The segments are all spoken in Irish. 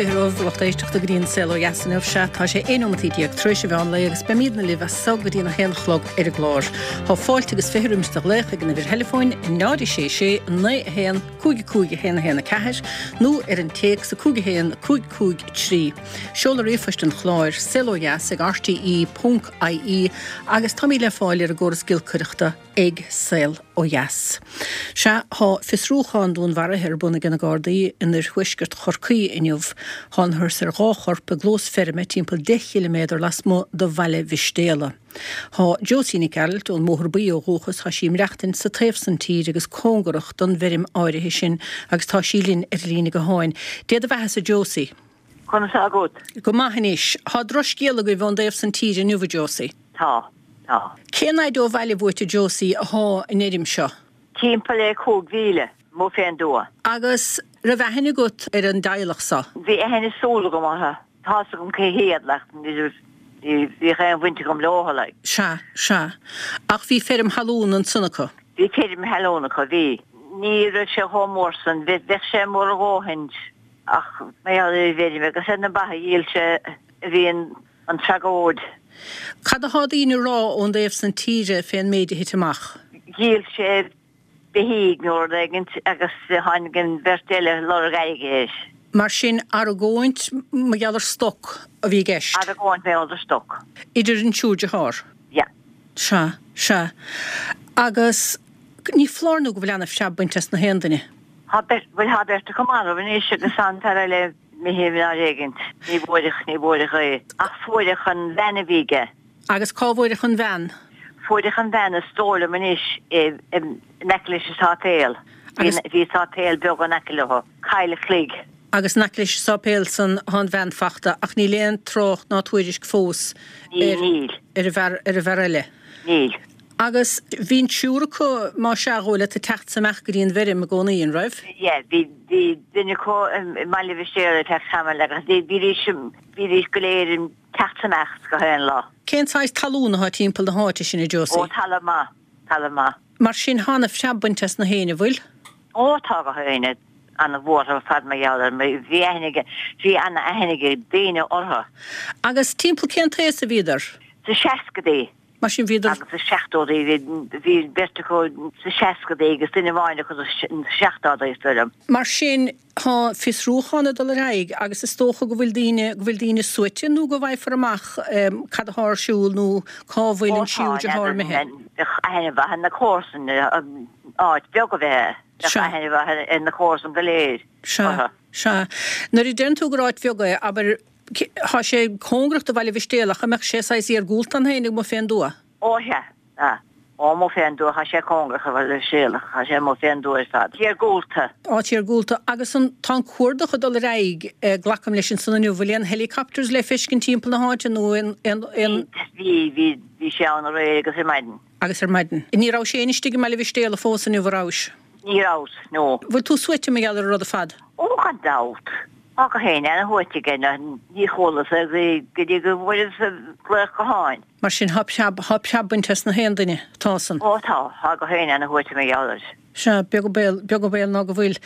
20 romhaibh lucht éisteachta go dtí an Saol Ó Dheas inniu. Sea, tá sé 11 nóimeataí tar éis an mheán lae agus beimídne libh as so go dtí an 1 a chlog ar an gclár. Tá fáilte agus 20 roimis do ghlaoch ag an uimhir theileafóin 0 6 6 9 1 5 5 1 1 4 nó ar an téacs 5 1 5 5 3. Seoladh ríomhphoist an chláir, saolodheas ag rte ponc ie agus táimid le fáil ar an gcóras giolcaireachta. ag Saol Ó Dheas. Sea, thá fiosrúchán dúnmharaithe ar bun ag na Gardaí in oirthuaisceart Chorcaí inniu. Thángathas ar dhá chorp i gclós feirme timpeall 10 chiliméadar lasmuigh de Bhaile Mhistéala. Thá Josie Nic Gearailt ón mBóthar Buí ó dhúchas, thá sí ag maireachtaint sa taobh san tíre agus cóngarach don bhfeirm áirithe sin agus tá sí linn ar an líne gutháin. Dé do bheathasa Josie. Conas tá agat? Go maith anois. Thá drochscéal agaibh ón dtaobh san tíre inniu, a Josie. Tá. Tá. Cén fhaid ó bhaile uait, a Josie, athá an fheirm seo? Timpeall le 5 mhíle, amuigh fén dtuath. Agus raibh aithne agat ar an dteaghlach so? Bhí aithne súl agam orthu. Tá's agam cé hiad, like, ní bhíodh aon bhaint agam leothu, like. Sea, sea. Ach bhí feirm thalún ansan acu? Bhí feirm thalún acu, bhí. Ní raibh sé chomh mór san. Bheadh sé mór a dhóthain. Ach mar gheall ar an bhfeirm agus ar na ba a dhíol sé a bhí an tragóid. Cad athá daoine a rá ón dtaobh san tíre fén méid a thit amach? Dhíol sé beithígh nó rud éigint agus tháinig an bheirt eile ag lorg airgid air. Mar sin, argóint mar gheall ar stoc a bhí i gceist? Argóint mar gheall ar stoc. Idir an triúr dearthár? Yeah. Sea, sea. Agus ní foláir nó go bhfuil ana-phreab bainte as na haon duine. Thá beirt, bhuel thá beirt acu marbh anois agus thá an fear eile imithe in áit éigint. Ní bhfuaireadh, ní bhfuaireadh é. Ach fuaireadh an bhean a bhí aige. Agus cá bhfuaireadh an bhean? Fuaireadh an bhean is dóigh liom anois i, in aice leis an sáipéal. Bhí, bhí sáipéal beag in aice leo. Coill a' Chloig. Agus in aice leis an sáipéal san thá an bhean fachta ach níl aon trácht ná tuairisc fós ar, Níl. ar an bhfear, ar an bhfear eile. Níl. Agus bhí an triúr acu, má sea, dhóigh leat, ag teacht 's ag imeacht go dtí an bhfeirm i gcónaí, an raibh? Yeah, bhí, bhí duine acu i mBaile Mhistéala ag teacht tamall agus bhí, bhídís, bhídís go léir ag teacht 's imeacht gach aon lá. Cén saghas talún athá timpeall na háite sin, a Josie? Ó, talamh maith, talamh maith. Mar sin, thá ana-phreab bainte as na héinne, bhfuil? Ó, tá gach éinne ana-bhuartha ar fad mar gheall air, bhí aithne ag, bhí ana-aithne ag daoine orthu. Agus timpeall cén t-aos a bhíodar? Sa seascadaí. Mar sin bhíodar. Agus sa seachtódaí, bhí, bhí beirt acu sa seascadaí agus duine amháin acu sa seachtódaí, is dóigh liom. Mar sin, tá fiosrúchán ag dul ar aghaidh agus is dócha go bhfuil daoine, go bhfuil daoine suaite nó go bhfaighfear amach cad athá ar siúl nó cá bhfuil an tríú deartháir imithe. Ó tá, bheadh aithne mhaith ar na comharsana, áit bheag a bheith é, bheadh aithne mhaith ar na comharsana go léir Sea, orthu. sea. Nuair a deireann tú gur áit bheag é, abair, Thá sé cóngarach do Bhaile Mhistéala ach an mbeadh sé saghas iargúlta ann féin amuigh fén dtuath? Ó sea, ah. Ó amuigh fén dtuath, thá sé cóngarach do Bhaile Mhistéala, thá sé amuigh fén dtuath ar fad. Iargúlta. Áit iargúlta. Agus an, tá an cuardach ag dul ar aghaidh, glacaim leis ansan inniu, bhfuil aon helicopters le feiscint timpeall na háite nó aon, aon, aon. Bhí, bhí, bhí sé ann aréir agus ar maidin. Agus ar maidin. Ní rabhais féin istigh i mBaile Mhistéala fós inniu, a rabhais? Ní rabhas, no. Bhfuil tú suaite mar gheall ar an rud ar fad? Ó, gan dabht. Tá gach éinne ana-shuaite aige, ní chualas é go dtí go bhfuaireas glaoch gutháin. Mar sin, thá preab, thá preab bainte as na haon duine, tá san. Ó tá, tá gach éinne ana-shuaite mar gheall air. Sea, beag an baol, beag an baol ná go bhfuil.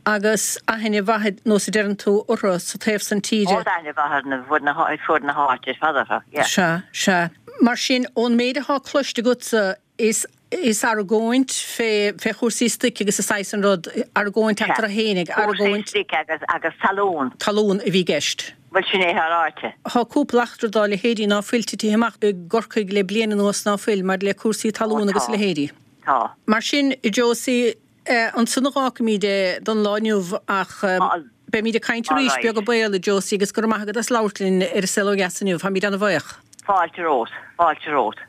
Agus aithne mhaith, nós a deireann tú, orthu sa taobh san tíre. Ó, tá aithne mhaith ar na, fud na, fud na háite ar fad orthu, yeah. Sea, sea. Mar sin, ón méid athá cloiste agatsa, Is is argóint fé fé chúrsaí stoic agus is saghas an rud, argóint eatarthu fhéinig, argóint. Cúrsaí stoic agus agus talún. Talún a bhí i gceist. Bhuel sin é atá ráite. Thá cúpla eachtra dá leithéidí ná fuil titithe amach i gCorcaigh le bliain anuas ná fuil, maidir le cúrsaí talún agus a leithéidí. Tá. Mar sin, a Josie, ansan a dh'fhágfaimíd é don lá inniu ach beimíd ag caint arís, beag an baol, a Josie, agus go raibh maith agat as labhairt linn ar An Saol Ó Dheas inniu. Táimíd ana-bhaoch. Fáilte romhat. Fáilte romhat.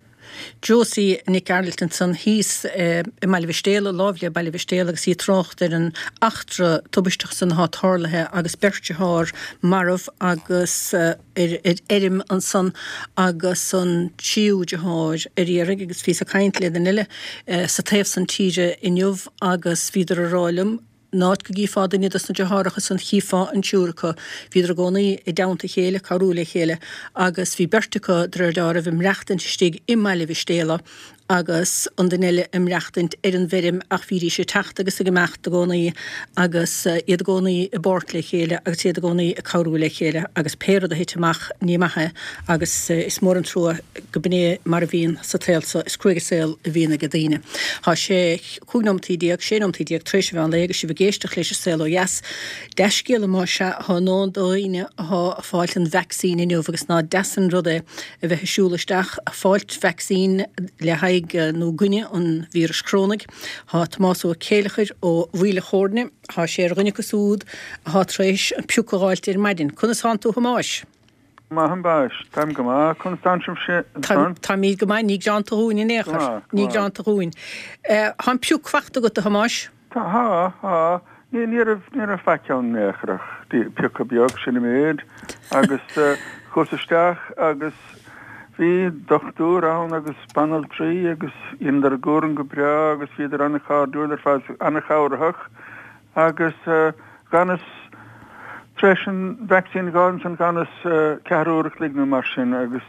Josie Nic Gearailt ansan thíos i mBaile Mhistéala, láimh le Baile Mhistéala agus í ag trácht ar an eachtra tubaisteach san athá tarlaithe agus beirt dearthár marbh agus ar ar fheirm ansan agus an tríú deartháir ar iarraidh agus bhíos ag caint le duine eile sa taobh san tíre inniu agus bhíodar ag rá liom An áit go gcífeá duine dos na deartháireacha san chífeá an triúr acu. Bhíodar i gcónaí i dteannta a chéile, cabhrú le chéile, agus bhí beirt acu, de réir deáraimh, ag maireachtaint istigh i mBaile Mhistéala. agus an duine eile ag maireachtaint ar an bhfeirm ach bhídís ag teacht agus ag imeacht i gcónaí agus iad i gcónaí i bpáirt le chéile agus iad i gcónaí ag cabhrú le chéile agus pé rud a thit amach ní maith é agus is mór an trua go b'in é mar a bhíonn sa tsaol so. Is cruaidh an saol a bhíonn ag daoine. Tá sé 15 nóimeataí, 16 nóimeataí tar éis an mheán lae agus sibh ag éisteacht leis an Saol Ó Dheas. Dea-scéala más ea atá i ndán do dhaoine atá ag fáilt an vacsaín inniu agus ná deas an rud é a bheith ag siúl isteach ag fáilt vacsaín le haghaidh nó i gcoinne an víris chorónaigh. Tá Tomás Ó Céileachair ó Mhaoil a' Chóirne, tá sé ar dhuine acu siúd atá tar éis an pioc a dh'fháilt ar maidin. Conas thánn tú a Thomáis? Maith a Mhaise, táim go maith. Conas tánn sibhse ansan? Táimíd go maith, ní gearánta dhúinn in aon chor. Ní gearánta dhúinn. Tá an pioc fachta agat, a Thomáis? Tá, tá, tá. Ní, ní raibh, ní raibh faic ann in aon chor ach pioca beag, sin an méid. Agus chuas isteach agus bhí dochtúir ann agus banaltraí agus dheineadar a gcúram go breá agus bhíodar an-chairdiúil ar fad, an-chabhraitheach. Agus dh'fhanas, tar éis an vacsaín a dh'fháil ansan dh'fhanas ceathrú uair a chloig nó mar sin agus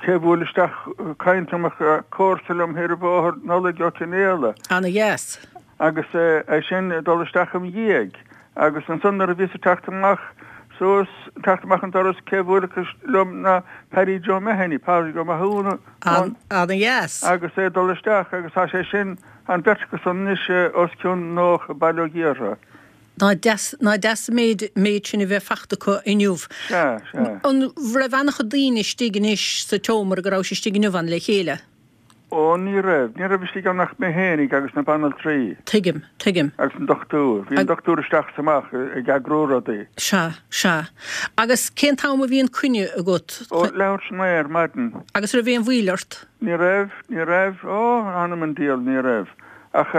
cé bhuail isteach caint liom ach comharsa liom thiar an bhóthar, Nollaig Ó Cionfhaola. Ana dheas. Agus é sin ag dul isteach im dhiaidh. Agus ansan nuair a bhíos ag teacht amach suas, teacht amach an doras cé bhuailfeadh liom ná Paddy Joe Mahony, Pádraig Ó Mathúna. Ana dheas. Agus é ag dul isteach agus tá sé sin, An bheirt acu san anois os cionn 90, bail ó Dhia orthu. Ná deas, ná deas an méid, méid sin a bheith fachta acu inniu. Sea, sea. An raibh an-chuid daoine istigh anois sa tseomra go rabhais istigh inniu ann le chéile? Ó, ní raibh. Ní raibh istigh ann ach mé fhéinig agus na banaltraí. Tuigim, tuigim. Agus an dochtúir. Bhí an dochtúir isteach is amach ag eagrú rudaí. Sea, sea. Agus cén t-am a bhí an coinne agat? Ó, leathuair tar éis a naoi ar maidin. Agus raibh aon mhoill ort? Ní raibh, ní raibh, ó, th'anam 'on diabhal, ní raibh. Ach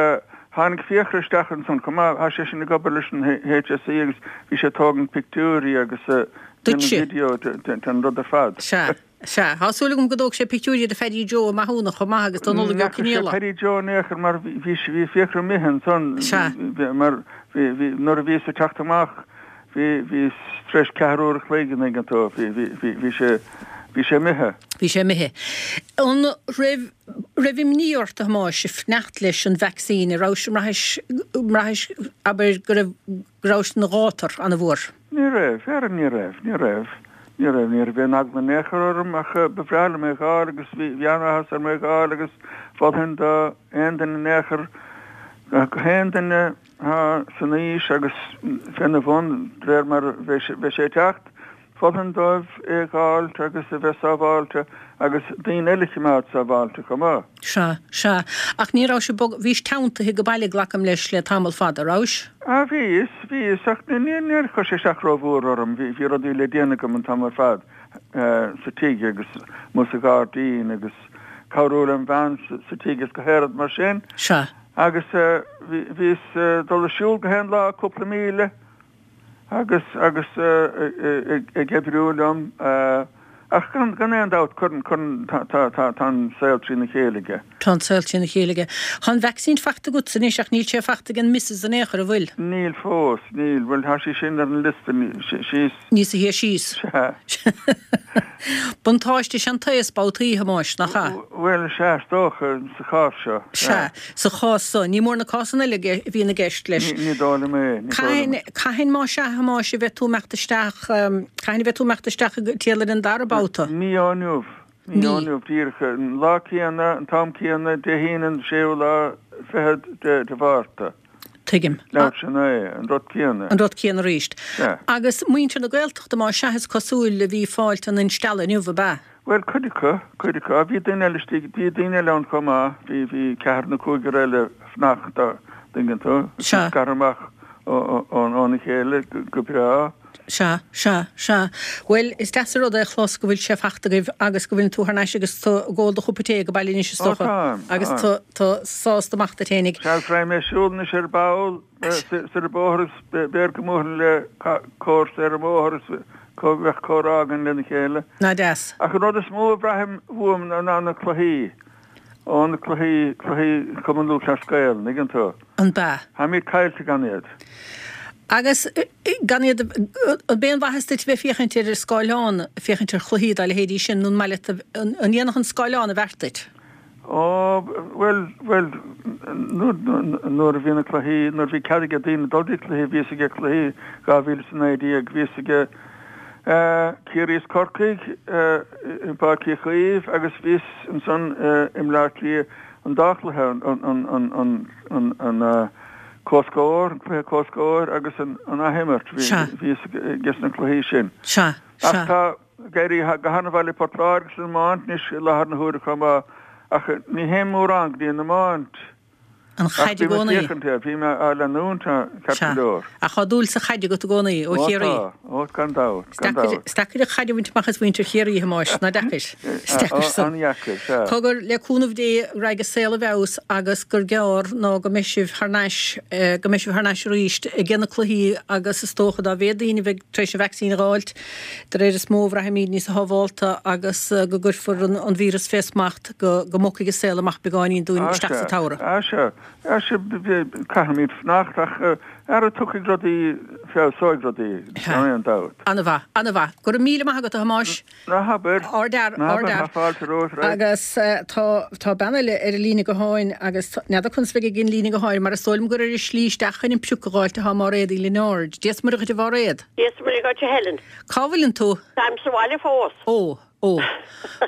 tháinig Fiachra isteach ansan chomh maith, tá sé sin ag obair leis an HSE agus bhí sé ag tógaint pictiúirí agus déanamh video den rud ar fad. Sea, sea. Tá súil agam go dtóg sé pictiúirí do Phaddy Joe Ó Mathúna chomh maith agus do Nollaig Ó Ní fhaca sé Cionfhaola. Paddy Joe in aon chor mar bhí bhí Fiachra imithe ansan Sea. mar bhí, bhí, nuair a bhíos ag teacht amach Bhí, bhí, tar éis ceathrú uair a chloig, an dtuigeann tú, bhí, bhí, bhí, bhí sé, bhí sé imithe. Bhí sé imithe. An raibh, raibh imní ort, a Thomáis, ag fanacht leis an vacsaín, an rabhais, an mbraithis, an mbraithis, abair, go raibh, go rabhais ina ghátar ana-mhór? Ní raibh, ara ní raibh, ní raibh, ní raibh, ní raibh aon eagla in aon chor orm ach ba bhreá liom é dh'fháil agus bhí, bhí an-áthas orm é dh'fháil agus mholfainn do aon duine in aon chor, go haon duine, Tá san aois agus féna bhun, de réir mar a bheidh sé ag teacht, mholfainn dóibh é dh'fháilt agus a bheith sábháilte agus daoine eile a chimeád sábháilte chomh maith. Sea, sea. Ach ní rabhais ag bogadh, bhís teanntaithe go baile, glacaim leis, le tamall fada, rabhais? Ah, bhíos, bhíos, ach níor chuir sé isteach rómhór orm, bhí rudaí le déanamh agam an t-am ar fad sa tigh agus amuigh sa ghairdín agus cabhrú lem bhean sa tigh is gach aon rud mar sin. Sea. Agus bhíos ag dul ag siúl gach aon lá cúpla míle agus agus ag oibriú liom ach gan gan aon dabht cuireann cuireann tá tá tá tá an saol trína chéile aige. Tá an saol trína chéile aige. Tá an vacsaín fachta agatsa anois ach níl sé fachta ag an Missus in aon chor, an bhfuil? Níl fós, níl. Bhuel tá sí sin ar an liosta síos. Níos a thíos síos. Sea. Buntáiste is ea an t-aos babhtaí, a Thomáis, nach ea? Bhuel, sea, is dócha, sa chás seo. Sea, sa chás so. Ní mór na cásanna eile a bhíonn i gceist leis. Ní dóigh liom é, ní dóigh liom é. Cathain, más ea, a Thomáis, a bheidh tú imeacht isteach, cathain a bheidh tú imeacht isteach ag triall ar an dara babhta? Mí ó inniu. Mí ó inniu, díreach. An lá céanna, an t-am céanna, Dé hAoine an séú lá fichead de Mhárta. Tuigim. Leathuair tar éis a naoi, an rud céanna. An rud céanna arís. Sea. Agus muintir na Gaeltachta, más ea, is cosúil, a bhí fáilt an instealladh inniu, ab ea? Bhuel, cuid acu, cuid acu. Bhí daoine eile istigh, bhí daoine eile ann chomh maith, bhí, bhí ceathrar nó cúigear eile fanacht, dá dtuigeann tú. Sea. Scartha amach óna chéile go breá. Sea, sea, sea. Bhuel, is deas an rud é a chlos go bhfuil sé fachta agaibh agus go bhfuileann tú thar n-ais agus tú ag ól do chupa tae ag baile anois is Ó dócha. táim, Agus táim. tú, tú sásta amach duit fhéinig. Sea, raghaidh mé ag siúl anois ar ball soir an bóthar agus b'fhéidir go mbuailfinn le comharsa ar an mbóthar agus go mbeadh comhrá againn lena chéile. Ná deas. Ach an rud is mó a bhraithim uaim ná na cluichí. Ó na cluichí, cluichí Chumann Lúthchleas Gael, an dtuigeann tú? An b'ea? Táimid caillte gan iad. Agus gan iad, an b'é an mhaitheas duit a bheith ag féachaint ar an scáileán, féachaint ar chluichí dá leithéidí sin, nó an maith leat, an ndéanfadh an scáileán an bheart duit? Ó, bhuel, bhuel, nuair a bhí na cluichí, nuair a bhí cead ag daoine dul dtí cluichí, bhíos ag cluichí 2019, bhíos ag Ciarraí is Corcaigh i bPáirc Uí Chaoimh agus bhíos ansan i mBleá Cliath an dá chluiche, an comhscór, an cluiche comhscóir agus an athimirt, bhíos ages na cluichí sin. Ach tá. Ag éirí go han-mhaith le Port Láirge san iomáint anois i láthair na huaire chomh maith ach ní théim mórán go dtí an iomáint. An chaid i gcónaí. Ach bím ag féachaint air, bím á leanúint ceart go leor. Ach tá dúil sa chaid agat i gcónaí, ó Chiarraí. Ó tá, ó gan dabht, gan dabht. Is deacair an chaid a bhaint amach as mhuintir Chiarraí, a Thomáis, nach deacair? Is deacair san. An-dheacair, sea. Cogar, le cúnamh Dé, go raghaidh an saol i bhfeabhas agus gur gearr ná go mbeidh sibh thar n-ais, go mbeidh sibh thar n-ais arís ag na cluichí agus is dócha dá mhéad daoine a bheidh tar éis an vacsaín a dh'fháilt, De réir is mó a bhraithfimid níos sábhálta agus go gcuirfear an víreas fé smacht, go mbogfaidh an saol amach beagáinín dúinn isteach sa tsamhradh. Á sea, á sea, caithfimid fanacht ach ara tiocfaidh rudaí, feabhsóidh rudaí, gan aon dabht. Ana-mhaith, ana-mhaith. Go raibh míle maith agat, a Thomáis. Ná habair, ná habair, tá fáilte romhat, right. Agus tá, tá bean eile ar an líne gutháin agus n'fheadar conas a bheidh ag an líne gutháin mar is dóigh liom gur ar a slí isteach chun an prioc a dh'fháilt atá Máiréad Uí Lionáird. Dia 's Muire dhuit a Mháiréad. Dia 's Muire dhuit a Helen. Cá bhfuileann tú? Táim sa bhaile fós. Ó, ó.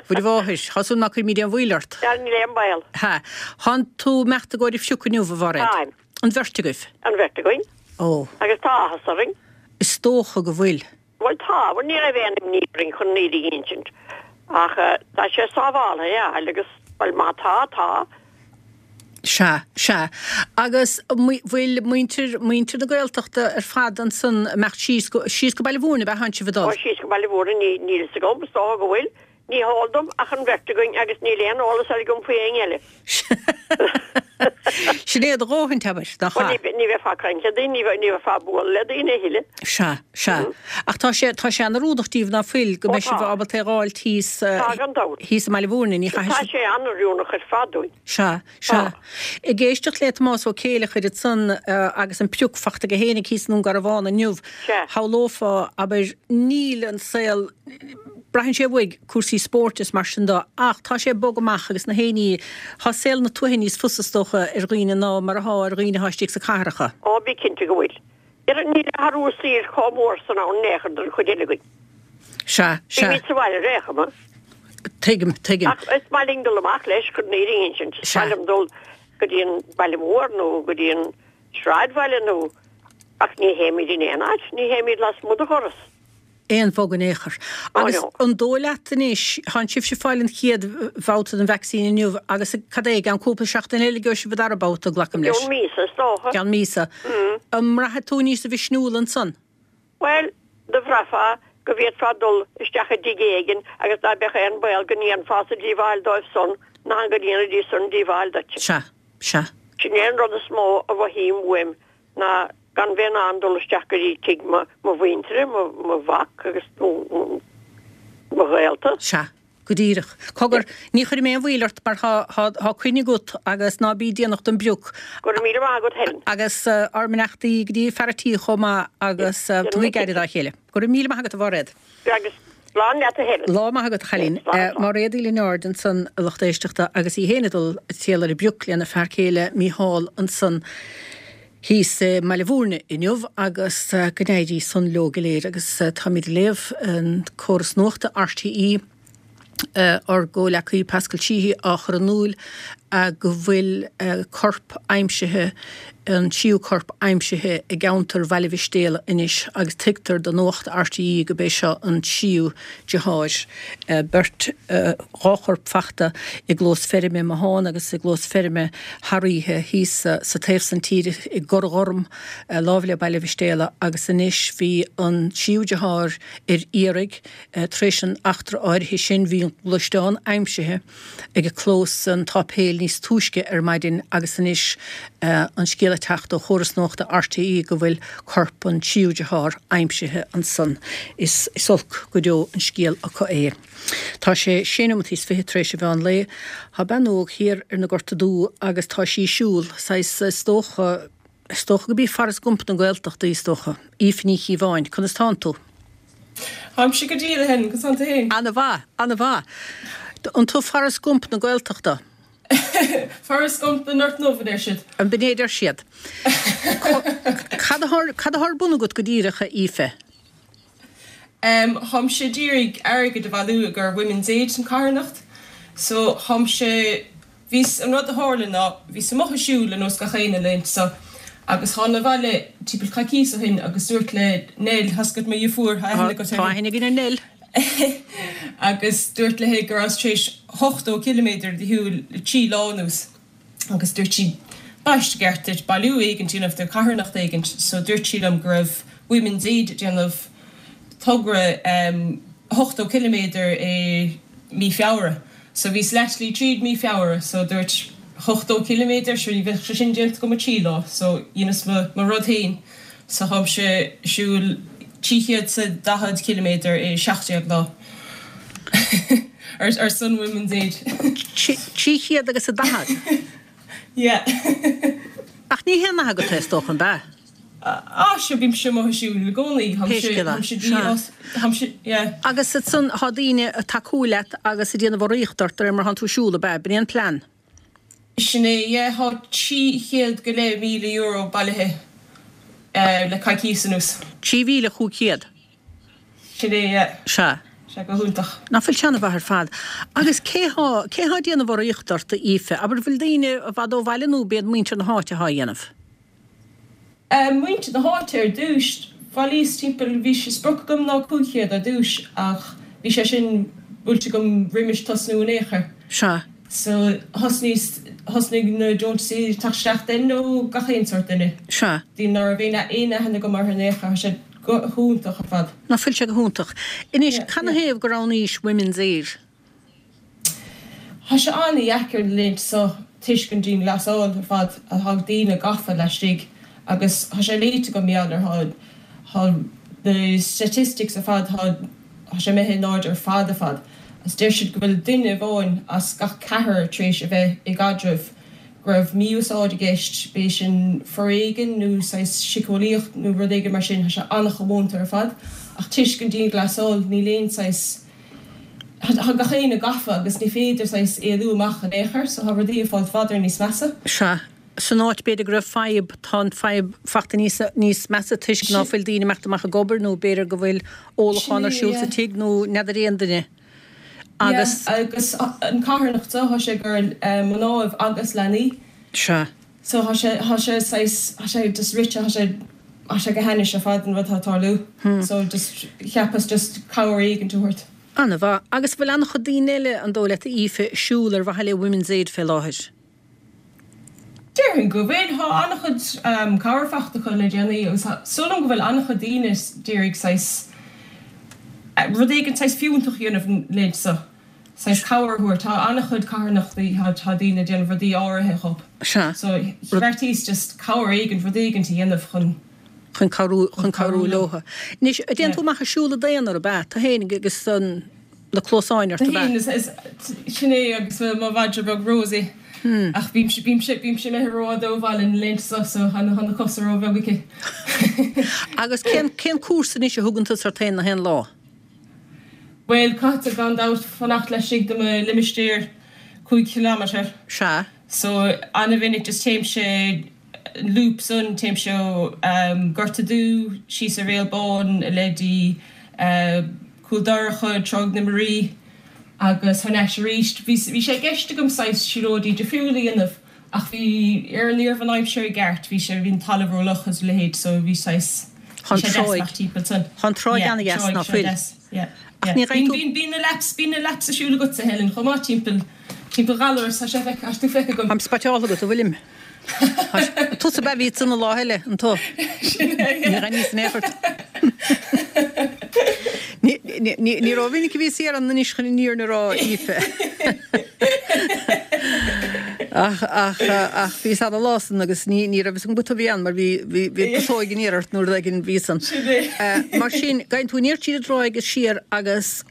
Mhuire Mháthair, tá súil ná cuirfimid aon mhoill ort. Sea, níl aon baol. Ha. Thánn tú imeacht i gcomhair an phrioc inniu, a Mháiréad? Táim. An bheirt agaibh? An bheirt againn. Ó. Agus tá áthas orainn. Is dócha go bhfuil. Bhuel tá, bhuel ní raibh aon imní orainn chun an fhírinne a insint ach tá sé sábháltha é a fháil agus bhuel má tá, tá. Sea, sea. Agus bhfuil muintir, muintir na Gaeltachta ar fad ansan ag imeacht síos go, síos go Baile Mhúirne, ab ea thánn sibh ag dul? Ó síos go Baile Mhúirne, ní, níl fhios agam, is dócha go bhfuil. Ní heol dom ach an bheirt againn agus níl aon eolas eile agam faoi éinne eile. Sin é do dhóthain, abair, nach ea? Bhuel, ní bheifeá ag caint le daoine, ní bheifeá ag bualadh le daoine a thuilleadh. Sea, sea. Ach tá sé, tá sé an-oiriúnach díbh ná fuil, go mbeidh sibh ábalta é a dh'fháilt thíos, Tá, gan dabht. thíos i mBaile Mhúirne, ní chaithfidh sibh. Tá sé an-oiriúnach ar fad dúinn. Sea, sea. Ag éisteacht le Tomás Ó Céileachair ansan agus an prioc fachta aige fhéinig thíos i nDún Garbhán inniu, shamhlófá, abair, níl an saol, braitheann sé uaidh, cúrsaí spóirt is mar sin de, ach tá sé ag bogadh amach agus na héinní, tá saol na tuaithe níos fusa is dócha ar dhaoine ná mar athá ar dhaoine athá istigh sa cathracha. Ó, bí cinnte go bhfuil. Níl athrú saoil chomh mór san ann in aon chor don chuid eile againn. Sea, sea. Bímid sa bhaile ar aon chuma. Tuigim, tuigim. Ach is maith linn dul amach leis, chun an fhírinne a insint. Is maith liom dul go dtí an baile mór nó go dtí an sráidbhaile nó, ach ní théimid in aon áit, ní théimid lasmuigh de dhoras. Aon bhog in aon chor. Agus an dóigh leat anois, thánn sibhse ag fáil an chéad bhabhta den vacsaín inniu agus cad é, i gceann cúpla seachtain eile gheobhaidh sibh an dara babhta, glacaim leis? I gceann míosa, is dócha. I gceann míosa. An mbraithfidh tú níosa mhisniúla ansan? Bhuel, do bhraithfeá go bhféadfá dul isteach i dtigh éigin agus ná beadh aon baol go ndéanfása díobháil dóibh san ná go ndéanfaidís san díobháil duit. Sea, sea. Sin é an rud is mó a mhothaím uaim ná gan bheith in ann dul isteach go dtí tigh mo mhuintire, mo mhac agus mo ghaolta. Sea. Go díreach. Cogar, ní chuirfidh mé aon mhoill ort mar tá, tá, tá coinne agat agus ná bí déanach don bprioc. Go raibh míle maith agat Helen. Agus ár mbeannachtaí go dtí fear a' tí chomh maith agus tugaigí aire dá chéile. Go raibh míle maith agat a Mháiréad. Agus slán leat a Helen. Lá maith agat a chailín. Máiréad Uí Lionáird ansan a lucht éisteachta agus í féin ag dul ag triall ar an bprioc lena fear céile Mícheál ansan thíos i mBaile Mhúirne inniu agus go n-éirí san leo go léir agus táimid ag léamh an córas nuachta RTÉ ár gcomhleacaí Pascal Sheehy á chur in iúl go bhfuil corp aimsithe, an tríú corp aimsithe i gceantar Bhaile Mhistéala anois agus tuigtear do Nuacht RTÉ go b'é seo an tríú deartháir. Beirt, dhá chorp fachta i gclós feirme i mBothán agus i gclós feirme thar oíche thíos sa taobh san tíre i gCorr Ghorm, láimh le Baile Mhistéala agus anois bhí an tríú deartháir ar iarraidh tar éis an eachtra áirithe sin. Bhí an gluaisteán aimsithe ag clós an tsáipéil níos túisce ar maidin agus anois an scéal ag teacht ó chóras nuachta RTÉ go bhfuil corp an tríú dearthár aimsithe ansan. Is olc go deo an scéal acu é. Tá sé sé nóimeataí is fiche tar éis an mheán lae. Tá bean óg thiar ar na Gorta Dubha agus tá sí ag siúl, saghas, is dócha, is dócha go b'í Forrest Gump na Gaeltachta í, is dócha. Aoife Ní Chíobháin, conas tánn tú? Táimse go diail, a Helen, conas tánn tú féin? Ana-mhaith, ana-mhaith. An tú Forrest Gump na Gaeltachta? Forrest Gump na nGort nDubh, a deir siad. An b'in é a deir siad? Cad atá ar bun agat go díreach, a Aoife? Tháimse d'iarraidh airgead a bhailiú i gcomhair Women's Aid an carthanacht. So tháimse, bhíos, an rud a tharla ná, bhíos amuigh ag siúl ar nós gach éinne na laethanta so agus thána abhaile timpeall coicíos ó shin agus dúirt le Nell, tá's agat mo dheirfiúr, tá aithne agat uirthi. Tá aithne againn ar Nell. Agus dúirt léi go rabhas tar éis 80 ciliméadar de shiúl le 3 lá anuas. Agus dúirt sí, Ba cheart duit bailiú éigint a dhéanamh do carthanacht éigint. So dúirt sí liom go raibh Women's Aid ag déanamh togra 80 ciliméadar i mí Feabhra. So bhíos leathshlí tríd mí Feabhra so dúirt 80 ciliméadar, sure ní bheadh sé sin déanta agam i 3 lá. So dheineas mo mo rud féin. So tháimse ag siúl 340 ciliméadar i 17 lá. Ar son Women's Aid. 300 agus a 40? Yeah. Ach ní haon nath agat é, is dócha, an ea? Ah, sure, bímse amuigh ag siúl i gcónaí. Pé scéal é. Sea. Yeah. Agus ansan, tá daoine ag tacú leat agus ag déanamh urraíocht ort de réir mar thánn tú ag siúl, ab ea? B'in é an plean? Sin é, yeah. Tá 300 go leith €1,000 bailithe le coicíos anuas. 3,500? Sin é, yeah. Sea. Sea, go hiontach. Ná fuil sé ana-mhaith ar fad. Agus cé thá, cé thá ag déanamh urraíocht ort, a Aoife? Abair, bhfuil daoine i bhfad ó bhaile nó b'iad muintir na háite athá á dhéanamh? Muintir na háite ar dtúis. Bhailíos timpeall, bhí sé sprioc agam ná 500 ar dtúis ach bhí sé sin buailte agam roimis tosnú in aon chor. Sea. So thosnaíos, thosnaigh na deontaisí ag teacht isteach then ó gach aon sórt duine. Sea. Daoine ná raibh aon aon aithne agam orthu in aon chor, tá sé go hiontach ar fad. Ná fuil sé go hiontach. Anois, cad 'na thaobh gur roghnaís Women's Aid? Tá sé an-dheacair na laethanta seo toisc an dianghlasáil ar fad atá daoine gafa laistigh agus tá sé léite agam mar gheall ar tá na statistics ar fad tá tá sé imithe in airde ar fad ar fad agus deir siad go bhfuil duine amháin as gach ceathrar tar éis a bheith i gcaidreamh go raibh mí-úsáid i gceist, b'é sin foréigean nó saghas síceolaíocht nó rud éigin mar sin, tá sé an-chomónta ar fad ach toisc an dianghlasáil níl aon saghas, tá gach éinne gafa agus ní féidir saghas éalú amach in aon chor so tá rudaí ag fáilt i bhfad níos measa. Sea. San áit b'fhéidir go raibh fadhb, tá an fadhb fachta níos, níos measa toisc ná fuil daoine imeacht amach ag obair nó b'fhéidir go bhfuil ólachán ar siúl sa tigh nó n'fheadar aon duine. Agus. Yeah, agus an carthanacht seo, tá sé i gcomhair mnáibh agus leanaí. Sea. So tá sé, tá sé saghas, tá sé just rite, tá sé, tá sé go hainnis ar fad an rud atá ag tarlú. So just, cheapas just cabhair éigint a thabhairt. An-mhaith. Agus bhfuil an-chuid daoine eile, an dóigh leat, a Aoife, ag siúl ar mhaithe le Women's Aid fé láthair? Déarfainn go bhfuil. Tá an-chuid cabhair fachta acu le déanaí agus tá súil agam go bhfuil an-chuid daoine d'iarraidh saghas rud éigin saghas fiúntach a dhéanamh na laethanta seo, saghas cabhair a thabhairt. Tá an-chuid carthanachtaí, tá daoine ag déanamh rudaí áirithe dhób. Sea. So bheartaíos just cabhair éigin, rud éigin a dhéanamh chun. Chun cabhrú, chun cabhrú leotha. Anois, dtéann tú amach ag siúl i d'aonar, ab ea? Tú fhéin agus an. na cluasáin ort, ab ea? Sin é agus mo mhadra beag Rosie. Ach bímse, bímse, bímse imithe rófhada ó bhaile na laethanta seo so tá na cosa róbheag aici. Agus cén, cén cúrsa anois a thugann tusa ort féin na haon lá? Bhuel, caithfidh gan dabht fanacht laistigh de mo limistéar 5 chileámeter. Sea. So, an-mhinic just téimse an loop san, téimse ó Gort a' Dú síos ar Bhéal Bán i leith dtí Cúl Dorcha, Tráigh na Muirí agus thar n-ais arís. Bhí bhí sé i gceist agam saghas siúlóidí difriúla a dhéanamh ach bhí ar ní raibh an aimsir i gceart, bhí sé bhí an talamh rófhliuch agus a leithéid so bhí saghas bhí sé deas amach timpeall san. Tá an tráigh ana-dheas, ná fuil? Yeah, Ach ní gheibheann tú. Bíonn bíonn na laps bíonn na laps ag siúl agatsa Helen chomh maith timpeall timpeall Ghallarus tá sé feicthe tá tú feicthe agam. Táim spotáilte agat, an bhfuilim? Tusa ab ea a bhí ansan an lá eile, an tu? Sin é, yeah. Ní ghaibh níos in aon chor. Ní rómhinic a bhíos thiar ann anois chun an fhírinne a rá, Aoife. Ach, ach, ach bhíos ann an lá san agus ní, ní raibh fhios agam gur tú a bhí ann mar bhí, bhí, bhí putóig aniar ort nó rud éigin bhí san. Sin é. Mar sin, gabhann tú aniar tríd an dtráigh agus siar agus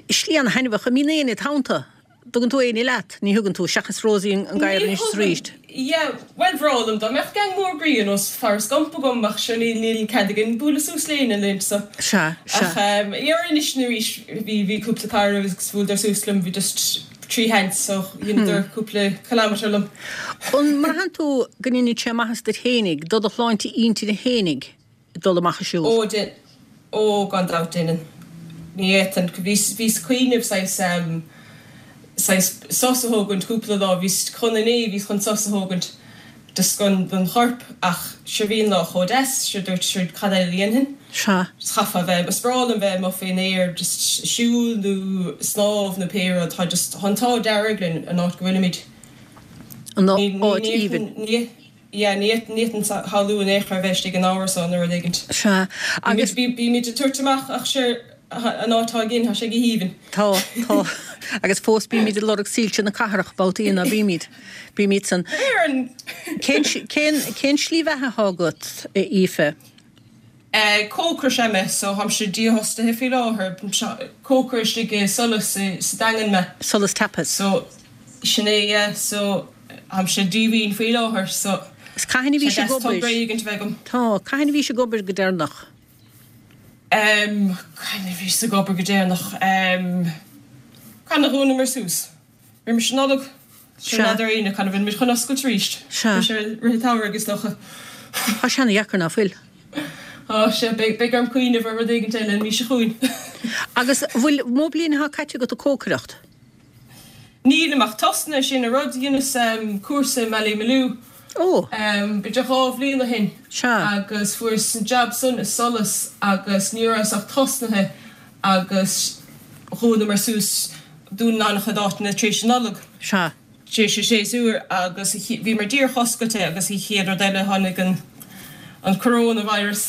slí ana-thaitneamhach. An mbíonn éinne id theannta? Dtugann tú éinne leat? Ní thugann tú, seachas Rosie an gadhar anois is arís. Yeah, bhuel bhreá liom dá mbeadh gang mór groí ar nós Forrest Gump agam ach sure níl níl cead againn bualadh suas le éinne na laethanta seo. Sea, sea. Ach yeah anois nó arís bhí bhí cúpla cara agus bhuaileadar suas liom, bhí just. sheans so dheineadar cúpla kilometre liom. An mbraitheann tú go ndeineann sé maitheas duit fhéinig, do do shláinte intinne fhéinig, dul amach ag siúl? Ó, dein, ó gan dabht deineann. Ní fhéadfainn, bhíos, bhíos ag cuimhneamh saghas ehm saghas sos a thógaint cúpla lá, bhíos chun inné, bhíos chun sos a thógaint just don, don chorp ach sure bhí an lá chomh deas, sure dúirt, sure cad eile a dhéanfainn? Sea. Just chaithfeá bheith, is breá liom bheith amuigh faoin aer, just siúl nó snámh nó pé rud, tá just, tá an t-ádh dearg linn an áit go bhfuilimid. An áit aoibhinn. Ní, yeah, ní fhéadfainn shamhlú in aon chor bheith istigh in árasán nó rud éigint. Sea, agus. Bímid ag tabhairt amach ach sure, an áit atá againn, tá sé go haoibhinn. Tá, tá. Agus fós bímid ag lorg soilse na cathrach, babhtaí ná bímid. Bímid san. Cén, cén, cén slí bheatha atá agat, a Aoife? Cócaire is ea mé, so táimse dífhostaithe faoi láthair. Cócaire istigh i Solas sa Daingean mé. Solas Tapas. So, sin é, yeah, so táimse díomhaoin faoi láthair, so Is cathain a bhís ag obair? togra éigint a bheith agam. Tá, cathain a bhís ag obair go deireanach? Em, cathain a bhíos ag obair go deireanach? Em, cathain a dhúnamar suas? Roimis an Nollaig? Sea. N'fheadar éinne cathain a bhfuil muid chun oscailt arís. Sea. Beidh sé i rith an tsamhraidh is dócha. Tá sé ana-dheacair, ná fuil? Tá sé. Beidh orm cuimhneamh ar rud éigint eile an mhí seo chugainn. Agus bhfuil mó bliain atá caite agat ag cócaireacht? Nílim ach tosnaithe, sin an rud. Dheineas cúrsa i mBallymaloe. Ó. B'fhéidir 2 bhliain ó shin. Sea. Agus fuaireas an jab san i Solas agus ní rabhas ach tosnaithe agus dhúnamar suas. Dúnann an-chuid áiteanna tar éis an Nollag. Sea. Tar éis an séasúr agus bhíomar díreach oscailte agus an chéad rud eile tháinig an an coronavirus.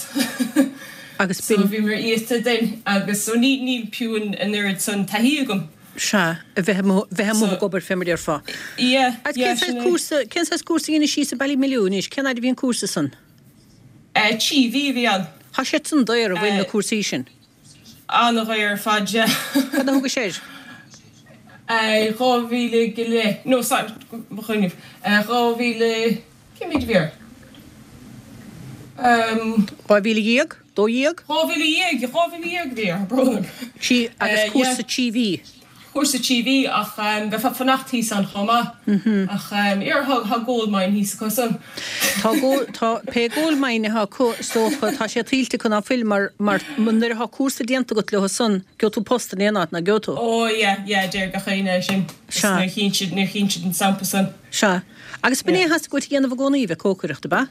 Agus So b'in. bhíomar iata den agus so ní níl fiú an an oiread san taithí agam. Sea, a bheith amuigh bheith amuigh So ag obair fé mar a déarfá. yeah, Agus yeah cén sin saghas é. cúrsa cén saghas cúrsa a dheinis síos i Ballymaloe anois? Cén fhaid a bhí an cúrsa san? 3 mhí a bhí ann. Tá siad san daor an bhfuil na cúrsaí sin? An-dhaor ar fad, yeah. Cad a thugais air? 2,000 go leith, no, sorry, mo chuimhneamh, 2,000, cén méid a bhí air? 12,000? 12,000, 12,000 a bhí air, tá brón orm. Sí, agus cúrsa 3 mhí. Cúrsa 3 mhí ach bheifeá ag fanacht thíos ann chomh maith. Ach yeah tá gold mine thíos acu san. Tá gold, tá, pé gold mine atá acu is dócha, tá sé tuillte acu ná fuil mar, mar nuair atá cúrsa déanta agat leo san, gheobhaidh tú post in aon áit, ná gheobhaidh tú? Ó yeah, yeah, deir gach éinne é sin. Sea. Nuair a chíonn siad, nuair a chíonn siad an stampa san. Sea. Agus b'in é a theastaigh uait a dhéanamh i gcónaí, bheith cócaireacht, ab ea?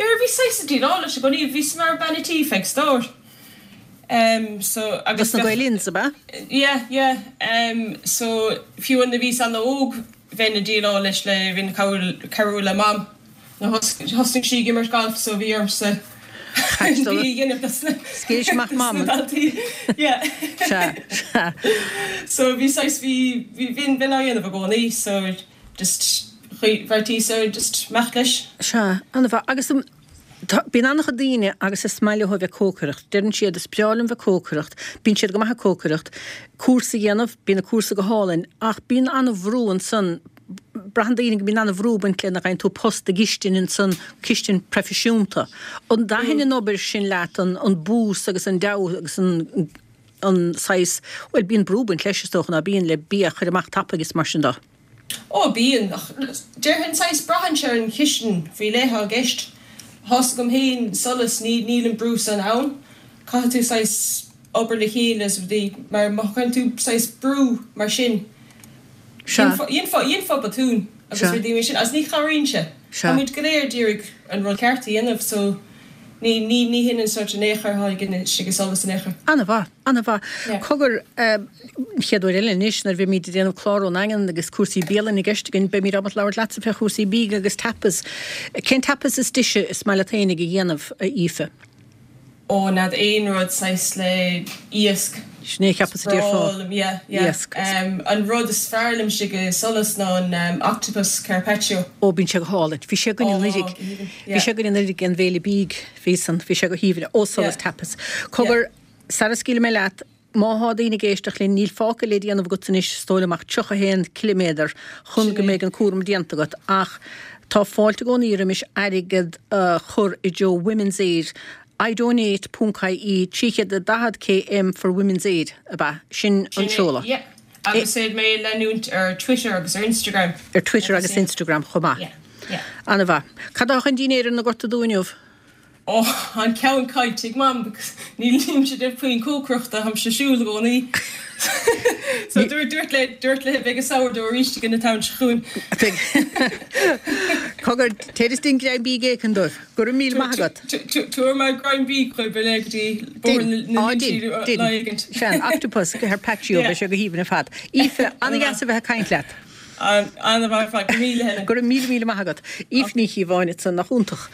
Yeah, bhí saghas ag déileáil leis i gcónaí, bhíos mar bean a' tí feadh stair. Em so agus Dos na Gael Inns, ab ea? Yeah, yeah. Em so fiú nuair a bhíos an-óg bheinn ag déileáil leis le bheinn ag cabhrú le Mam. Nuair thosnaigh sí ag imirt gailf so bhí ormsa an bia a dhéanamh dos na Scaoil amach Mam. daltaí. Yeah. Sea, sea. So bhí saghas bhí bhí bheinn bheinn á dhéanamh i gcónaí so just bheartaíos ar just imeacht leis. Sea, an-mhaith. Agus an. Tá, bíonn an-chuid daoine agus is maith leo a bheith ag cócaireacht. Deireann siad, is breá liom bheith ag cócaireacht. Bíonn siad go maith ag cócaireacht. Cúrsa a dhéanamh, bíonn an cúrsa go hálainn, ach bíonn an-bhrú ansan, braitheann daoine go mbíonn an-bhrú ag baint le nuair a fhaigheann tú post i gcistin ansan, cistin proifisiúnta. An dtaithin an obair sin leat, an, an bús agus an deabhadh agus an, an saghas, bhuel, bíonn brú ag baint leis is dócha, ná bíonn, le bia a chur amach tapaidh is mar sin de. Ó, bíonn, ach déarfainn saghas, braitheann sé ar an chistin faoi leith atá i gceist. Tá's agam féin, Solas, ní, níl an brú san ann. Caithfidh tú saghas obair le chéile is rudaí, mar má chuireann tú saghas brú mar sin, Sea. dhéanfá, dhéanfá botún agus Sea. rudaí mar sin, agus ní chabhraíonn sé. Sea. Tá muid go léir ag iarraidh an rud ceart a dhéanamh so ní, ní, ní hin an sórt in aon chor atá againn istigh i Solas in aon chor. An-mhaith. An-mhaith. Yeah. Cogar, an chéad uair eile anois nuair a bheimid ag déanamh clár ón nDaingean agus cúrsaí bialainne i gceist againn, beimid ábalta labhairt leatsa fé chúrsaí bídh agus tapas. Cén tapas is deise is maith leat fhéinig a dhéanamh, a Aoife? Ó, n'fheadar, aon rud saghas le iasc. Sin é a cheapas a déarfá. Is breá liom, yeah, yeah. Iasc. An rud is fearr liom istigh i Solas ná an octopus carpaccio. Ó, bíonn sé go hálainn. Bhí sé againn Ó, anuraidh. go haoibhinn, Bhí yeah. sé againn anuraidh ag an bhféile bídh. Bhí san, bhí sé go haoibhinn. Ó, Solas Yeah. Tapas. Cogar, Sara scaoilfidh mé leat, má thá daoine ag éisteacht linn, níl fágtha le déanamh agat anois, is dóigh liom, ach 31 ciliméadar chun go mbeidh an cúram déanta agat, ach tá fáilte i gcónaí roimis airgead a chur i dtreo Women's Aid, idonate ponc ie, 340 km for Women's Aid, ab ea? Sin an seoladh. Yeah. Agus féadfaidh mé leanúint ar Twitter agus ar Instagram. Ar Twitter agus Instagram chomh maith. Yeah, yeah. An-mhaith. Cad atá chun dinnéir ar na gorta dubha inniu? Ó, an ceann caillte ag Mam because nílimse déanamh puinn cócaireachta, táimse ag siúl i gcónaí. So dúirt, dúirt le, dúirt léi beidh an sourdough arís againn an t-am seo chugainn. Beidh. Cogar, téir is dein greim bídh éicint dóibh. Go raibh míle maith agat. Tabharfaidh mé greim bídh dóibh ar go dtí Bóthar na Dein, Inse dein. lá éigint. Sea, an octopus carpaccio, beidh sé go haoibhinn ar fad. Aoife, an-dheas a bheith ag caint leat. An-mhaith ar fad, go raibh míle Helen. Go raibh míle míle maith agat. Aoife Ní Chíobháin ansan, nach iontach.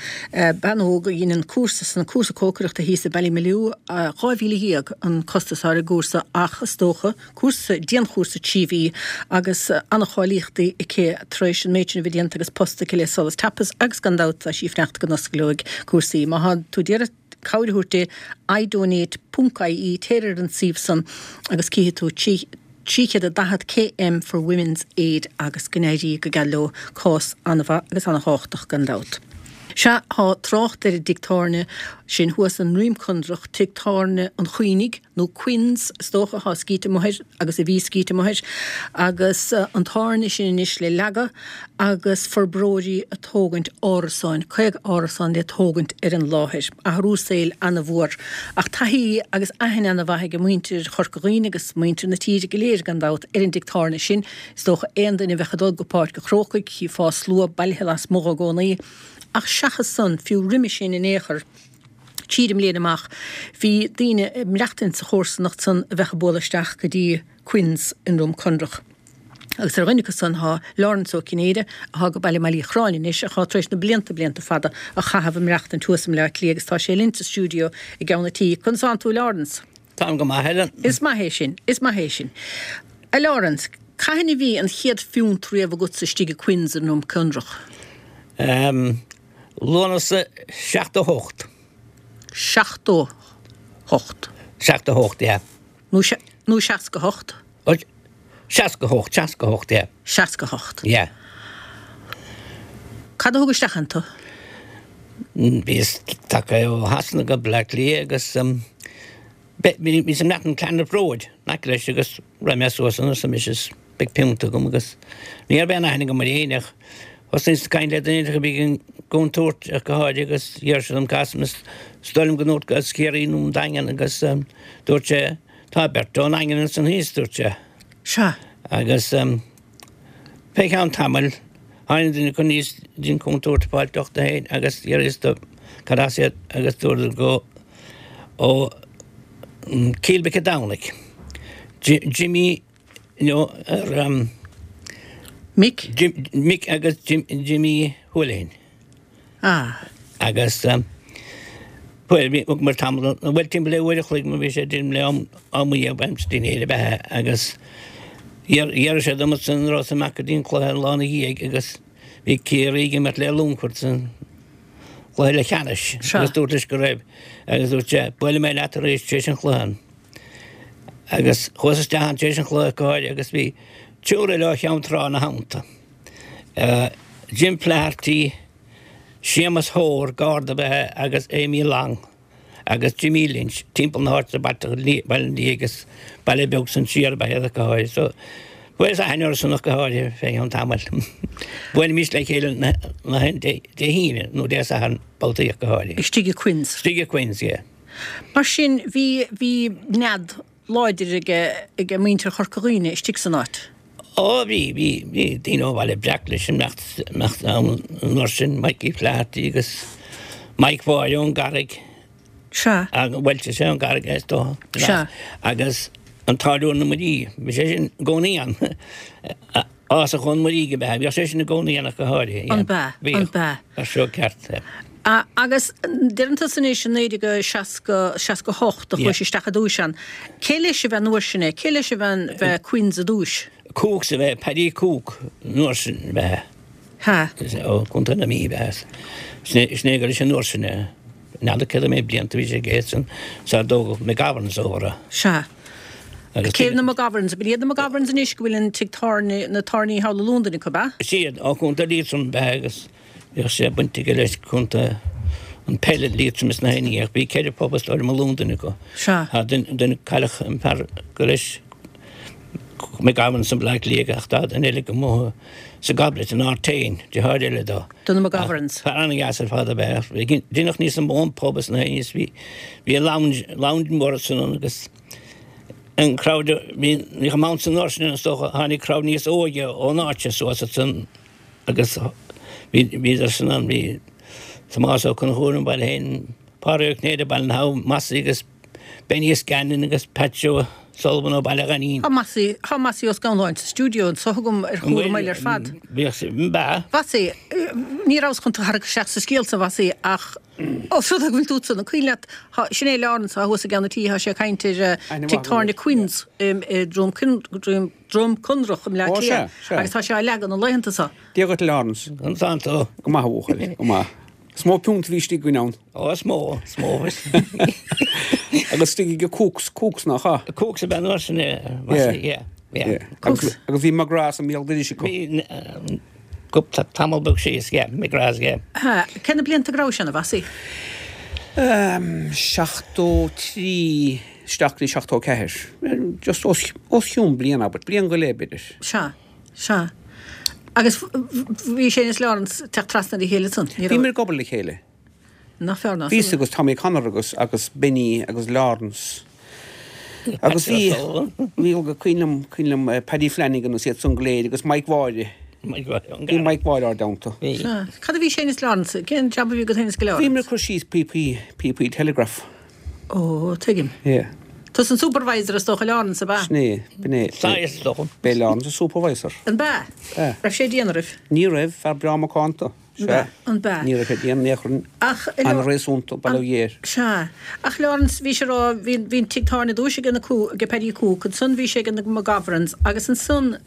Bean óg a dheineann cúrsa san, cúrsa cócaireachta thíos i Ballymaloe, 12,000 an costas atá ar an gcúrsa ach is dócha, cúrsa, dianchúrsa 3 mhí agus an-cháilíochtaí aici tar éis an méid sin a bheith déanta agus post aici le Solas Tapas agus gan dabht tá sí ag fanacht go n-osclóidh cúrsaí. Má tá tú d'iarraidh cabhair a thabhairt di, idonate ponc ie, téir ar an suíomh san agus cífidh tú 340 KM for Women's Aid agus go n-éirí go geal leo, cás an-mhaith agus an-thábhachtach gan dabht. Sea, tá trácht ar an dtigh tábhairne sin thuas i nDroim Conrach, Tigh Tábhairne an Choinnigh, nó Quinn's, is dócha, atá scríte amuigh air, agus a bhí scríte amuigh air, agus an tábhairne sin anois le leagadh agus forbróirí ag tógaint árasáin, 50 árasán le tógaint ar an láthair. Athrú saoil ana-mhór. Ach taithí agus aithne ana-mhaith ag muintir Chorca Dhuibhne agus muintir na tíre go léir, gan dabht, ar an dtigh tábhairne sin. Is dócha aon duine a bheadh ag dul go Páirc an Chrócaigh, chífeá slua bailithe lasmuigh dhó i gcónaí. Ach seachas san, fiú roimhe sin in aon chor, tríd an mbliain amach, bhí daoine ag maireachtaint sa chomharsanacht san a bheadh ag bualadh isteach go dtí Quinn's i nDroim Conrach. Agus ar dhuine acu san thá Laurence Ó Cinnéide, athá go Baile Mhailí Chráin anois, ach athá tar éis na blianta, blianta fada a chaitheamh ag maireachtaint thuas i mBleá Cliath agus tá sé linn sa stiúideo i gceann an tí. Conas tánn tú, a Laurence? Táim go maith, Helen. Is maith é sin, is maith é sin. A Laurence, cathain a bhí an chéad phiúnt riamh agatsa istigh i Quinn's i nDroim Conrach? Ehm, Lúnasa 78. 78. 78, yeah. Nó, nó 68? 68, 68, yeah. 68. Yeah. Cad a thug isteach ann tú? Bhíos tagtha ó Shasana go Bleá Cliath agus bhíos ag maireachtaint Clonliffe Road in aice leis agus rith mé suas ann arsa mise is beidh piúnta agam agus ní raibh aon aithne agam ar éinne ach thosnaíos ag caint le duine a bhí ag an gcontúirt ach go háirithe agus d'iarr sé dom cad as is dóigh liom go ndúirt as Ciarraí nó an Daingean agus dúirt sé tá beirt ón nDaingean ansan thíos dúirt sé. Sea. Agus fé cheann tamaill tháinig duine acu aníos dtí an contúirt ag fáil deoch dó féin agus d'fhiafraíos de cad as iad agus dúradar go ó Cill Mhic a' Domhnaigh. Jimmy nó ar Mick? Mick agus Jimmy Houlihan. Ah. Agus bhuel bhí thug muid tamall bhuel timpeall le uair a chloig mar bhí sé déanamh le am am a dhéag b'aimsir dinnéir ab ea agus d'iarr sé dom ansan an rabhas amach go dtí an cluiche an lá ina dhiaidh agus bhí Ciarraí ag imirt le Longfort san chluiche leathcheannais agus dúrt leis go raibh agus dúirt sé buailfidh mé leat arís tar éis an chluiche. Agus chuas isteach ann tar éis an chluiche go háirithe agus bhí triúr eile ó Cheann Trá ina theannta. Jim Flaherty, Séamus Hoare, garda ab ea agus Amy Long agus Jimmy Lynch timpeall na háite Baile an Liaigh agus baile beag san siar ab ea iad ach go háirithe. So fuaireas aithne orthu san ach go háirithe fé cheann tamaill. Bhuailimis le chéile na Dé hAoine nó Dé Sathairn babhtaí ach go háirithe. Istigh i Quinn's. Istigh i Quinn's, yeah. Mar sin bhí, bhí nead láidir aige, aige muintir Chorca Dhuibhne istigh san áit. Ó bhí, bhí, bhí daoine ó Bhaile Breac leis ag imeacht, imeacht ann an uair sin, Mikey Flaherty agus Mike Mháire ón gCarraig. Sea. Agus, bhuel, sé ón gCarraig é is dócha. Sea. Agus an Táilliúir na Muirí, bhí sé sin i gcónaí ann. Ásach ón Muirígh ab ea. Bhíodh sé sin i gcónaí ann ach go háirithe. An b'ea? Bhíodh. An b'ea? Bheadh seo ceart. Agus deireann tusa anois i 1960, 68 a chuais isteach i dtúis ann. Cé leis a bhí an uair sin é? Cé leis a bhí an, bhí Quinn's i dtúis? Cooks a bhí, Paddy Cooke an uair sin a bhí. Ha. Ó Chontae na Mí ab ea. Sin é gur leis an uair sin é. N'fheadar céard a méid blianta a bhí sé ag éad san sar dtógadh McGoverns over. Sea. Agus Cé na McGoverns? Ab iad na McGoverns anois go bhfuil an tigh tábhairne, na tábhairní thall i Londain acu, ab ea? Is iad, ó Chontae Liatroim ab ea agus bhíodh sé baint aige leis contae an peil i Liatroim is na hAoine ach bhí ceithre phub is dóigh liom i Londain acu. Sea. Tá duine, duine cailleadh an fear go leis. McGoverns i mBleá Cliath ach tá duine eile go mó sa Goblet in Artane, deartháir eile dó. Do na McGoverns. Fear an-dheas ar fad ab ea. Deineadh níos mó an pub is na níos bhí bhí lounge lounge mór ansan ann agus an crowd bhí ní chomh maith san uair sin is dócha tháinig crowd níos óige ón áit suas ansan agus bhí bhíodar san ann bhí Tomás Ó Conchúir ón baile féin Pádraig Ó Cinnéide Baile na hAbha Mossie agus Benny Scanlon agus Pat Joe Sullivan ó Baile Ghainín. Tá Mossie, tá Mossie Ó Scanláin sa stiúideo anso agam ar chúl an bhaill ar fad. Bhíodh sé, ba. Mhossie, ní rabhas chun tú a tharrac isteach sa scéal san, Mhossie, ach os rud é go bhfuil tú ansan, an cuimhin leat, tá, sin é Laurence atá thuas i gceann an tí, tá sé ag caint ar Tigh Tábhairne Quinn's i Droim, Droim Conrach i mBleá Cliath agus tá sé á leagan an laethanta so. Dia dhuit Laurence. Ansan tú. Go maith a bhuachaill, go maith. Is mó piúnt a bhí istigh againn ann. Ó, is mó, is mó. Agus istigh ag Cooks, Cooks nach ea? Cooks ab ea an uair sin é, yeah, yeah. Cooks. Agus bhí McGrath's i mbéal dorais acu. Bhí, cúpla tamall beag síos, yeah, McGrath's, yeah. Cé na blianta go raibh sé ann, a Mhossie? 73 isteach go dtí 74. Just os, os cionn bliain, abair, bliain go leith b'fhéidir. Sea. Sea. Agus bhí sé is Laurence ag teacht trasna ar a chéile ansan, ní raibh? Bhíomar ag obair le chéile. Nach fearr ná Bhíos agus Tommy Connor agus agus Benny agus Laurence. Agus bhí, bhí go cuimhin liom, cuimhin liom Paddy Flanagan agus iad san go léir agus Mike Mháire. Mike Mháire. Bhí Mike Mháire ár dteannta. Bhí. Sea. Cad a bhí sé is Laurence, cén jab a bhí agat féin is Laurence? Bhíomar ag cur síos píopaí, píopaí telegraph. Ó, tuigim. Yeah. Tusa an supervisor is dócha Laurence, ab ea? Sin é, b'in é. Saghas is dócha. B'é Laurence an supervisor. An b'ea? B'ea. Raibh sé dian oraibh? Ní raibh, fear breá macánta. Sea. An b'ea? Ní raibh sé dian in aon chor. Ach. An-réasúnta, bail ó Dhia air. Sea. Ach Laurence, bhí sé a rá, bhí, bhí an tigh tábhairne i dtús ag na Coo, ag Paddy Cooke, ansan bhí sé ag na McGoverns agus ansan,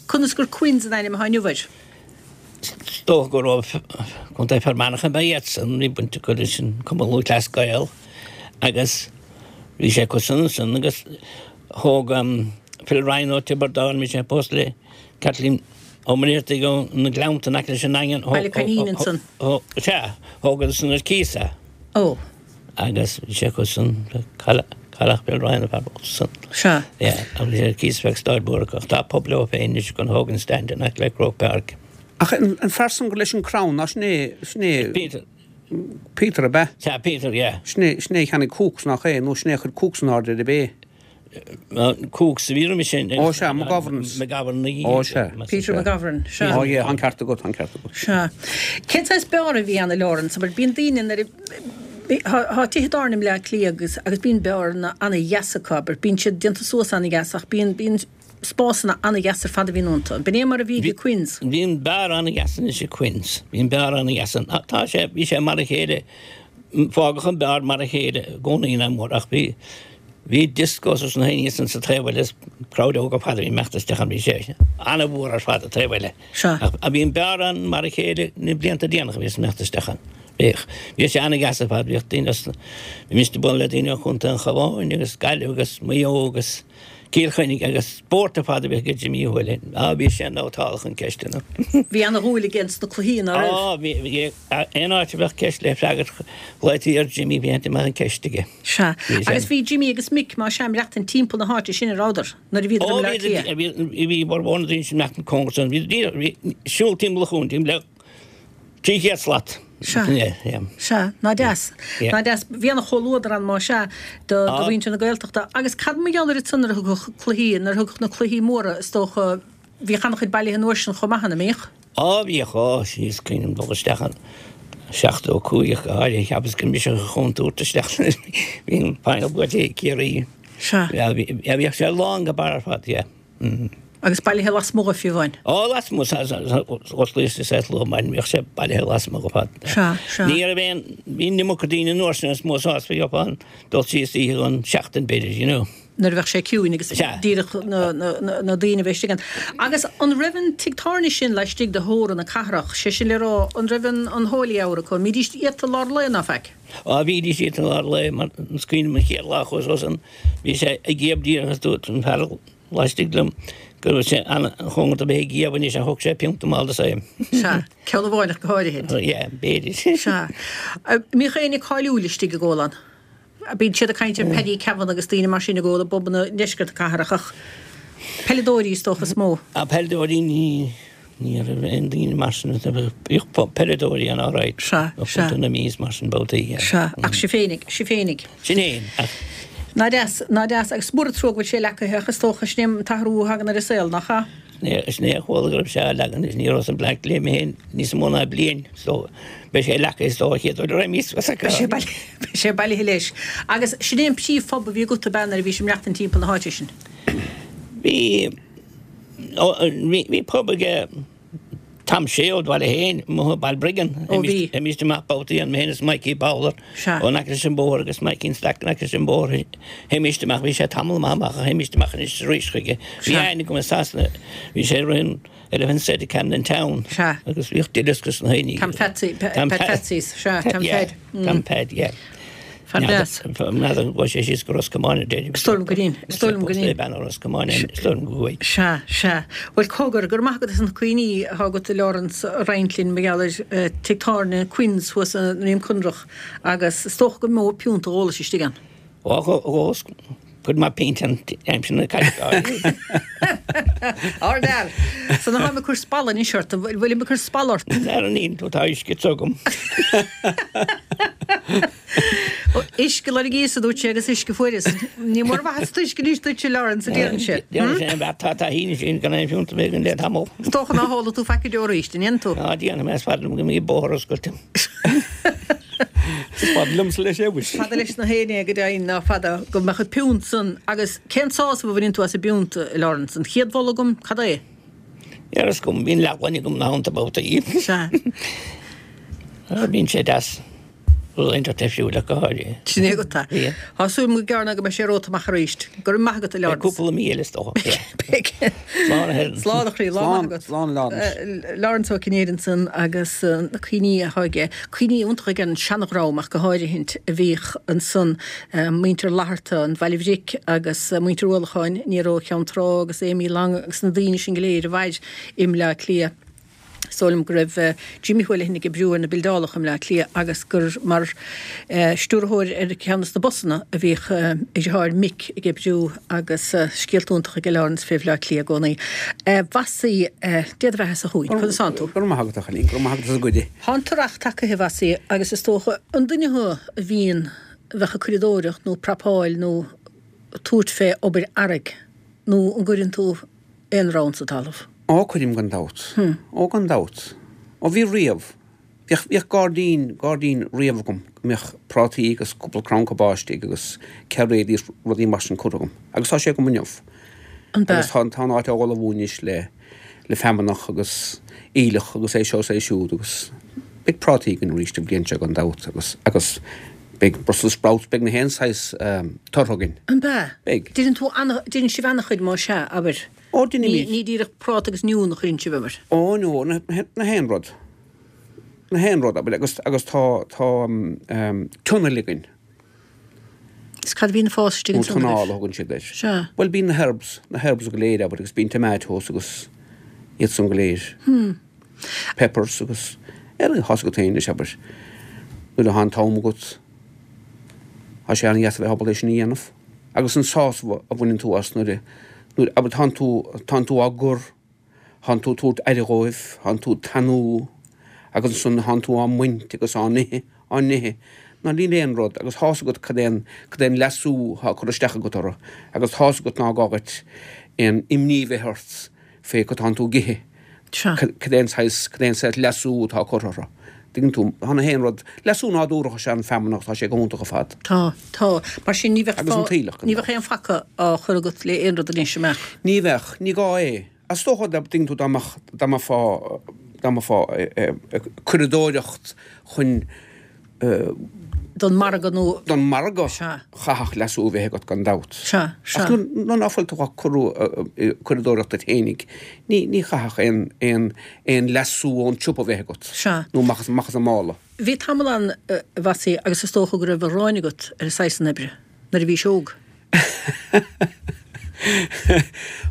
conas gur Quinn's an ainm atá inniu air? Is dócha go raibh Contae Fear Manach ab ea iadsan, bhí baint acu leis an Cumann Lúthchleas Gael agus bhí sé acu san ansan agus thóg Phil Ryan ó Tiobraid Árann, bhí sé pósta le Kathleen Ó Muircheartaigh ó na Gleannta in aice leis an nDaingean. Baile Coinín ansan. Sea, thógadar san ar cíos é. Ó. Agus bhí sé acu san, cailleadh Phil Ryan an fear bocht san. Sea. Yeah, agus bhí sé ar cíos feadh staid mhór acu. Ach tá pub leo féin anois an Hogan Stand in aice le Croke Park. Ach an fear san gur leis an crann, ná sin é, sin é. Peter. Peter ab ea? Sea, Peter, yeah. Sin é, sin é a cheannaigh Cooks, nach é? Nó sin é a chuir Cooks in airde ar ab é? Cooks a bhí roimhe sin. Ó sea, McGoverns. McGovern. Ó sea. Peter McGovern, sea. Ó yeah, tá an ceart agat, tá an ceart agat. Sea. Cén saghas beár a bhí ann a Laurence? Abair, bíonn daoine nuair a, tá tithe tábhairne i mBleá Cliath agus, agus bíonn beáranna ana-dheas acu, abair, bíonn siad déanta suas ana-dheas ach bíonn, bíonn spásanna ana-dheas ar fad a bhíonn iontu. B'in é mar a bhí ag Quinn's. Bhí an beár ana-dheas anois ag Quinn's. Bhí an beár ana-dheas ann. Tá sé, bhí sé mar a chéile, fágadh an beár mar a chéile i gcónaí nach mór ach bhí, Bhí discos is na haon ní san sa taobh eile is crowd óg ar fad a bhí imeacht isteach ann bhí sé an-mhór ar fad an taobh eile. Sea. Ach bhí an beár ann mar a chéile na blianta déanacha a bhíos imeacht isteach ann. Bhíodh. Bhí sé an-dheas ar fad bhíodh daoine as bhí mise ag bualadh le daoine ó Chontae an Chabháin agus Gaillimh agus Maigh Eo agus Cill Chainnigh agus spórt ar fad a bhíodh ag Jimmy Uí Thuathail. Á bhí sé nótálach an ceisteanna. Bhí ana-dhúil aige ins na cluichí ná raibh? Á bhí bhí aon áit a bheadh ceist le freagairt ghlaoití ar Jimmy bhí amach an ceist aige. Sea. Agus bhí Jimmy agus Mick, más ea, ag maireachtaint timpeall na háite sin, a rabhadar, nuair a bhíodar i mBleá Cliath? Ó, bhí, bhí formhór na daoine sin ag maireachtaint cóngarach san, bhí, bhí, siúl timpeall an chuain, timpeall le 300 slat. Sea. Sea. Ná deas. Ná deas. Bhí ana-chomhluadar ann, más ea, do, do mhuintir na Gaeltachta. Agus cad mar gheall air ansan nuair a thigeadh cluichí, nuair a thigeadh na cluichí móra, is dócha, bhíodh an-chuid bailithe an uair sin chomh maith, an mbíodh? Á bhíodh, á, is cuimhin liom dul isteach in 75 ach go háirithe, cheapas gur mise a chontúirt isteach nuair a bhí an final buaite ag Ciarraí. Sea. Yeah, bhíodh sé lán go barr ar fad, yeah. Agus bailithe lasmuigh fiú amháin? Á, lasmuigh, osclaíodh sa luath maidin, bhíodh sé bailithe lasmuigh ar fad. Sea, sea. Ní raibh aon, bhí an iomarca daoine an uair sin is mó sásamh a gheofá an dul síos oíche don seachtain b'fhéidir, you know. nuair a bheadh sé ciúin agus díreach na daoine a bheith istigh ann. Agus an raibh an tigh tábhairne sin laistigh de theorainn na cathrach, sé sin le rá, an raibh an Holy Hour acu, an mbídís iata lár lae ná faic? Á, bhídís iata lár lae, mar is cuimhin liom an chéad lá a chuas ansan, bhí sé ag iamh díreach is dúirt an fear laistigh liom go raibh sé an-chóngarach do bheith ag iamh anois ach thug sé pionta mall dos é. Sea, ceann amháin ach go háirithe. Yeah, b'fhéidir. Sea. Mbíodh éinne cáiliúil istigh ag ól ann? Bíonn siad ag caint ar Paddy Kavanagh agus daoine mar sin ag ól i bpubanna i ndeisceart na cathrach ach. Peileadóirí is dócha is mó. Ah, peileadóirí ní, ní raibh aon daoine mar sin, bhíodh peileadóirí ann alright. Sea, sea. Ó Chontae na Mí is mar sin babhtaí, yeah. Sea, ach sibh féinig, sibh féinig. Sinn fhéin, ach. Ná deas, ná deas, agus mór an trua go bhfuil sé leacaithe ach is dócha sin é an t-athrú a thagann ar an saol, nach ea? Sin é a chuala go raibh sé á leagan anois, ní rabhas i mBleá Cliath mé féin níos mó ná bliain so beidh sé leagtha is dócha chéad uair a raibh níos Beidh sé bailithe leis. Agus sin é an príomhphub a bhí agat ab ea nuair a bhís ag maireachtaint timpeall na háite sin? Bhí, bhí pub aige Tom Shea ó Bhaile Héin, amuigh i Balbriggan. Ó bhí. Théimíst amach babhtaí ann, mé féin is Mikey Bowler ó in aice leis an bóthar agus Mikey an Stack in aice leis an bóthar. Théimíst amach, bhí sé tamall maith amach ach théimíst amach anois is arís chuige. Bhí aithne agam i Sasana, bhí sé ag rith an Elephant Set i Camden Town agus bhíodh duileasc is na haoine. Tom Pheatsaí, Pat Pheatsaí's, sea, Tom Pheaid. Tom Pheaid, yeah. Fear deas. N'fheadar an gcuaigh sé síos go Ros Comáin ar deireadh. Is dóigh liom gur in. Is dóigh liom gur in. Bean ó Ros Comáin é, is dóigh liom go gcuaigh. Sea, sea. Bhuel, cogar, go raibh maith agat as na cuimhní atá agat a Laurence a roinnt linn mar gheall ar tigh tábhairne Quinn's thuas i nDroim Conrach agus is dócha gur mó piúnt a dh'ólais istigh ann. Ó, dh'ólas cuid maith pínt an aimsir na caite. Ardfhear! So ná táim ag cur spalla anois ort, an bhfuilim ag cur spalla ort? N'fheadar an ndéanann tú, tá uisce te agam. Uisce loirgíos, a dúirt sé, agus uisce fuaireas. Ní mór mhaith an t-uisce anois duitse, Laurence, a déarfainnse. Déarfainn sin, an tá taithí sin gan aon phiúnt a bheith againn le tamall. Is dócha ná hólfaidh tú faic go deo arís, an ndéanfaidh tú? Ná déanfaidh mé, is fada liom go mbeidh bóthar oscailte. Is fada liomsa leis é, mhuise. Fada leis na héinne go deimhin, ná fada go mbeadh an piúnt san. Agus cén sásamh a bhaineann tú as an bpiúnt, a Laurence? An chéad bholadh agam, cad é? Níl a fhios agam, bíonn leathghloine agam na thonnta babhtaí. Sea. Bíonn sé deas rud iontach difriúil ach go háirithe. Sin é agat é. Tá súil agam go gearr ná go mbeidh sé romhat amach arís. Go raibh maith agat, a Laurence. Beidh cúpla mí eile is dócha. Beidh. Slán a Helen. Slán a chroí, lá maith agat. Slán, Laurence. Laurence Ó Cinnéide ansan agus na cuimhní atá aige, cuimhní iontacha aige ar an seanadhream ach go háirithint a bhíodh ansan, muintir Fhlatharta, an Bhaile Bhric agus muintir Uallacháin, Nero ó Cheann Trá agus Amy Long agus na daoine sin go léir a mhair i mBleá Cliath. Is dóigh liom go raibh Jimmy Houlihan ag oibriú ar na bildeálacha i mBleá Cliath agus gur mar stiúrthóir ar cheann de na busanna a bhíodh a dheartháir Mick ag oibriú agus scéalta iontacha aige Laurence fé Bhleá Cliath i gcónaí. A Mhossie, Dé do bheatha-sa chugainn, conas tánn tú? Go raibh maith agat, a chailín, go raibh maith agat as an gcuireadh. Tá an t-earrach tagaithe, a Mhossie, agus is dócha, an duine thú a bhíonn, a bheadh ag curadóireacht nó prapáil nó tabhairt fé obair earraigh nó an gcuireann tú aon rann sa talamh? Ó, cuirim gan dabht. Ó, gan dabht. Ó, bhí riamh. Bhíodh, bhíodh gairdín, gairdín riamh agam go mbíodh prátaí agus cúpla crann cabáiste agus cairéidí is rudaí mar sin curtha agam. Agus tá sé agam inniu. An bea? Agus tá, tá an áit á ullmhú anois le, le feamnach agus aoileach agus é seo is é siúd agus beidh prátaí againn arís an bhliain seo gan dabht agus, agus beidh Brussels sprouts, beidh na haon saghas tortha againn. An bea? Beidh. Deineann tú ana, deineann sibh ana-chuid más ea, abair. Ó, deinimid. Ní díreach práta agus oinniún a chuireann sibh, abair. Ó, no, na, na haon rud. Na haon rud, abair, agus, agus tá, tá tunnel againn. Is cad a bhíonn ag fás istigh Nó ansan, tunnel abair? a thugann siad air. Sea. Bhuel, bíonn na herbs, na herbs go léir, abair, agus bíonn tomatoes agus iad san go léir. Hmm. Peppers agus, ar, tá's agat féin anois, abair, nuair atá an t-am agat, tá sé an-dheas a bheith ábalta é sin a dhéanamh. Agus an sásamh a bhaineann tú as nuair a, nuair, abair, tánn tú, tánn tú á gcur, thánn tú ag tabhairt aire dhóibh, thánn tú ag tanú agus ansan thánn tú á mbaint agus á n-ithe, á n-ithe. Ná níl aon rud, agus thá's agat cad é an, cad é an leasú thá curtha isteach agat orthu agus thá's agat ná gá dhuit aon imní bheith ort fé cad tánn tú ag ithe. Sea. Cad é an saghas, cad é an saghas leasú atá curtha orthu. Tuigeann tú, tá na haon rud, leasú nádúrach is ea an feamnach, tá sé go hiontach ar fad. Tá, tá. Mar sin ní bheadh Agus an t-aoileach, gan ní dabht. bheadh aon phaca á chur agat le aon rud anois, an mbeadh? Ní bheadh, ní gá é. Is dócha, dá dtuigeann tú, dá mbeadh, dá mbeifeá, dá mbeifeá ag curadóireacht chun, Don margadh nó. Don margadh, Sea. chaithfeadh leasú a bheith agat gan dabht. Sea, sea. Ach nuair ná fuil tú ag curadóireacht duit fhéinig, ní, ní chaithfeadh aon, aon, aon leasú ón tsiopa a bheith agat. Sea. Nó amach as, amach as an mála. Bhí tamall ann, a Mhossie, agus is dócha go raibh a ghráin agat ar an saghas san oibre, nuair a bhís óg.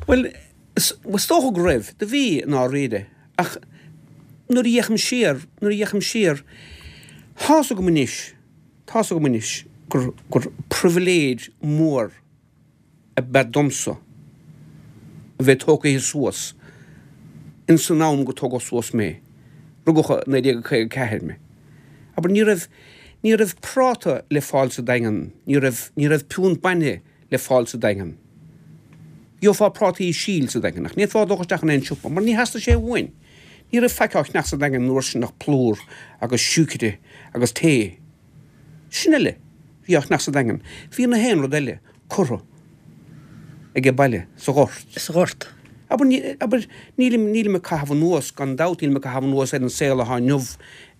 Bhuel, is dócha go raibh. Do bhí, i ndáiríre. Ach nuair a fhéachaim siar, nuair a fhéachaim siar, tá's agam anois, tá's agam anois gur, gur pribhléid mhór ab ea domsa. A bheith tógaithe suas ins an am go tógadh suas mé, rugadh i 1954 mé. Abair, ní raibh, ní raibh práta le fáil sa Daingean, ní raibh, ní raibh piúnt bainne le fáil sa Daingean. Gheofá prátaí síl sa Daingean ach ní fhéadfá dul isteach in aon siopa mar ní theastaigh sé uainn. Ní raibh faic á cheannach sa Daingean an uair sin ach plúr agus siúicre agus tae. Sin uile a bhí á cheannach sa Daingean. Bhí na haon rud eile curtha age baile sa ghort. Sa ghort. Abair, ní, abair, nílim, nílim ag caitheamh anuas, gan dabht, nílim ag caitheamh anuas ar an saol athá inniu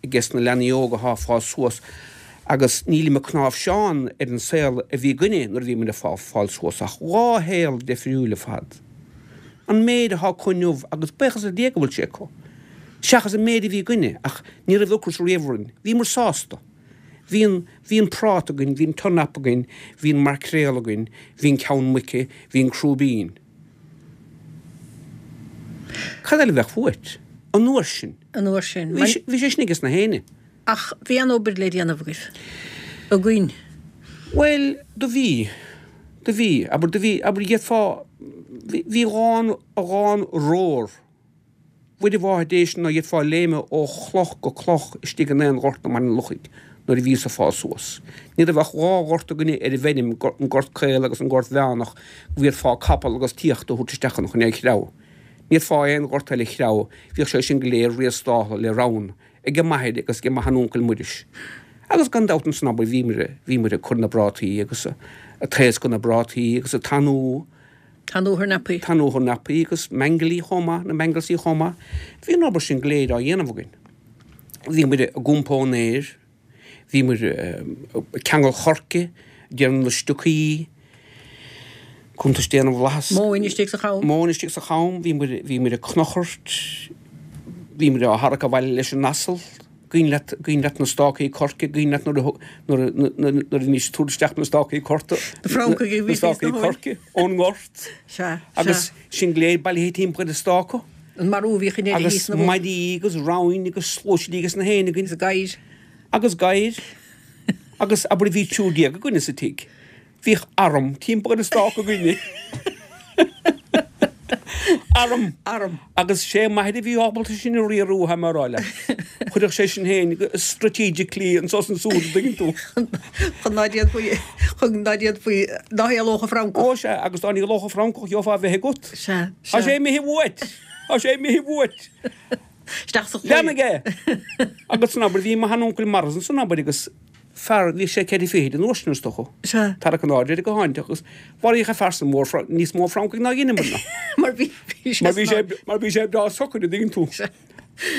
ages na leanaí óga athá ag fás suas agus nílim ag cnáimhseán ar an saol a bhí againne nuair a bhí muid ag fáil suas ach dhá shaol deifriúil ar fad. An méid athá acu inniu agus buíochas le Dia go bhfuil sé acu, seachas an méid a bhí againne ach ní raibh ocras riamh orainn, bhíomar sásta. Bhí an, bhí an práta againn, bhí an turnap againn, bhí an maircréal againn, bhí an ceann muice, bhí an crúibín. Cad eile a bheadh uait? An uair sin. An uair sin. Bhí sé sin ages na héinne. Ach bhí an-obair le déanamh agaibh. Againn. Bhuel, do bhí. Do bhí. Abair, do bhí, abair, d'fhéadfá, bhí, bhí dhán, dhán rór. Mhuire Mháthair Dé sin ná d'fhéadfá léimeadh ó chloch go cloch istigh in aon ghort i mBaile an Lochaigh nuair a bhíos ag fás suas. Ní raibh ach dhá ghort againne ar an bhfeirm, an Gort Caol agus an Gort Mheánach, go bhféadfá capall agus t-iacht a thabhairt isteach ann chun é a threabhadh. Ní fhéadfá aon ghort eile a threabhadh, bhíodh sé sin go léir riastáltha le ramhan age m'athair agus age mo sheanuncail Muiris. Agus gan dabht ansan abair bhíomar, bhíomar ag cur na bprátaí agus ag taoscadh na bprátaí agus ag tanú, Tanú thurnapaí. Tanú thurnapaí agus meaingealaí chomh maith, na mangelsaí chomh maith. Bhí an obair sin go léir á dhéanamh againn. Bhíomar ag iompó an fhéir, bhíomar ag ceangal choirce, ag déanamh na stiocaí, cuntais Dé na bhFlaitheas. Móin istigh sa cham. Móin istigh sa cham, bhíomar, bhíomar ag cnochairt, bhíomar á tharrac abhaile leis an asal. Cuimhin leat, cuimhin leat na stácaí coirce, cuimhin leat nuair a, nuair a, nuair a bhímis ag tabhairt isteach na stácaí corta, Na francaigh a bhí na stácaí coirce ón ngort. Sea, sea. Agus sinn go léir bailithe timpeall ar an stáca. An marú a bhíodh in deireadh thíos na Agus maidí agus ramhainn agus sluaisidí agus na héin againn. Agus gadhair. Agus gadhair. Agus abair bhí 13 againne sa tigh. Bhíodh arm timpeall ar an stáca againne. Arm! Arm. Agus sé m'athair a bhí ábalta sin a riarú, tá mé a rá leat. Chuirfeadh sé sin féin strategically anso is ansúd, an dtuigeann tú. Chun ná déanfaí, chun ná déanfaí, ná héalódh an francach. Ó sea, agus dá n-éalódh an francach gheofá a bheith agat. Sea, sea. Tá sé imithe uait! Tá sé imithe uait! Isteach sa chlaí. Leanaigh é! Agus san abair, bhí mo sheanuncail marbh ansan abair agus fear, bhí sé ceithre fichid an uair sin is dócha. Sea. Tarrac in airde air go háinte agus mharaíodh an fear san mór, níos mó francaigh ná dheineamar-na. Mar bhí, bhí sé Mar bhí sé, mar bhí sé breá socair, an dtuigeann tú. Sea.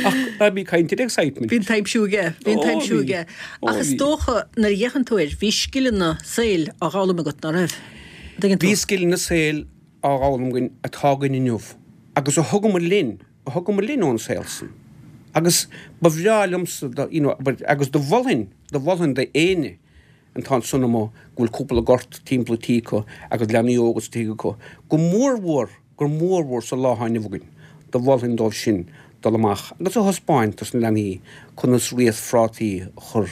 Ach ná bí ag caint ar excitement. Bhí an t-aimsiú aige, bhí an Ó, t-aimsiú bhí. aige. Ó, Ach is bhí. dócha, nuair a fhéachann tú air, bhí scileanna saoil á dh'fhoghlaim agat, ná raibh? An dtuigeann tú? Bhí scileanna saoil á dh'fhoghlaim againn atá againn inniu agus a thugamar linn a thugamar linn ón saol san. Agus ba bhreá liomsa do, you know, agus do mholfainn, do mholfainn do éinne atá ansan amuigh go bhfuil cúpla gort timpeall an tí acu agus leanaí óga sa tigh acu, go mórmhór, gur mórmhór sa lá atá inniu againn, do mholfainn dóibh sin dul amach agus a thaispeáint dos na leanaí conas riasc phrátaí a chur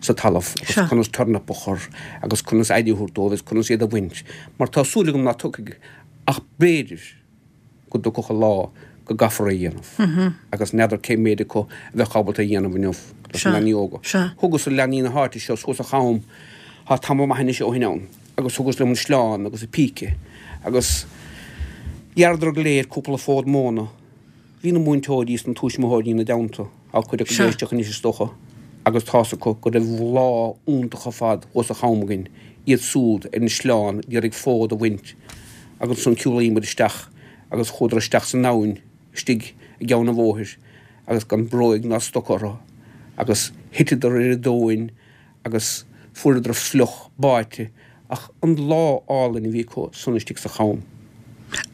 sa talamh agus conas turnap a chur agus conas aire a thabhairt dóibh agus conas iad a bhaint mar tá súil agam ná tiocfaidh ach b'fhéidir go dtiocfadh an lá go gcaithfear é a dhéanamh agus n'fheadar cé méid acu a bheadh ábalta é a dhéanamh inniu dos na leanaí óga. Thugas leanaí na háite seo suas an cham, tá tamall maith anois ó shin ann, agus thugas liom an sleán agus an píce agus ghearradar go léir cúpla fód móna. Bhí na múinteoirí is na tuismitheoirí ina dteannta, tá cuid acu ag éisteacht anois is dócha, agus tá's acu go raibh lá iontach ar fad thuas an cham againn, iad súd ar an sleán ag iarraidh fód a bhaint agus ansan shiúlaíomar isteach agus chuadar isteach san abhainn istigh i gceann an bhóthair agus gan bróig ná stoca orthu agus thiteadar ar an dtóin agus fuaireadar fliuch báite ach an lá álainn a bhí acu san istigh sa cham.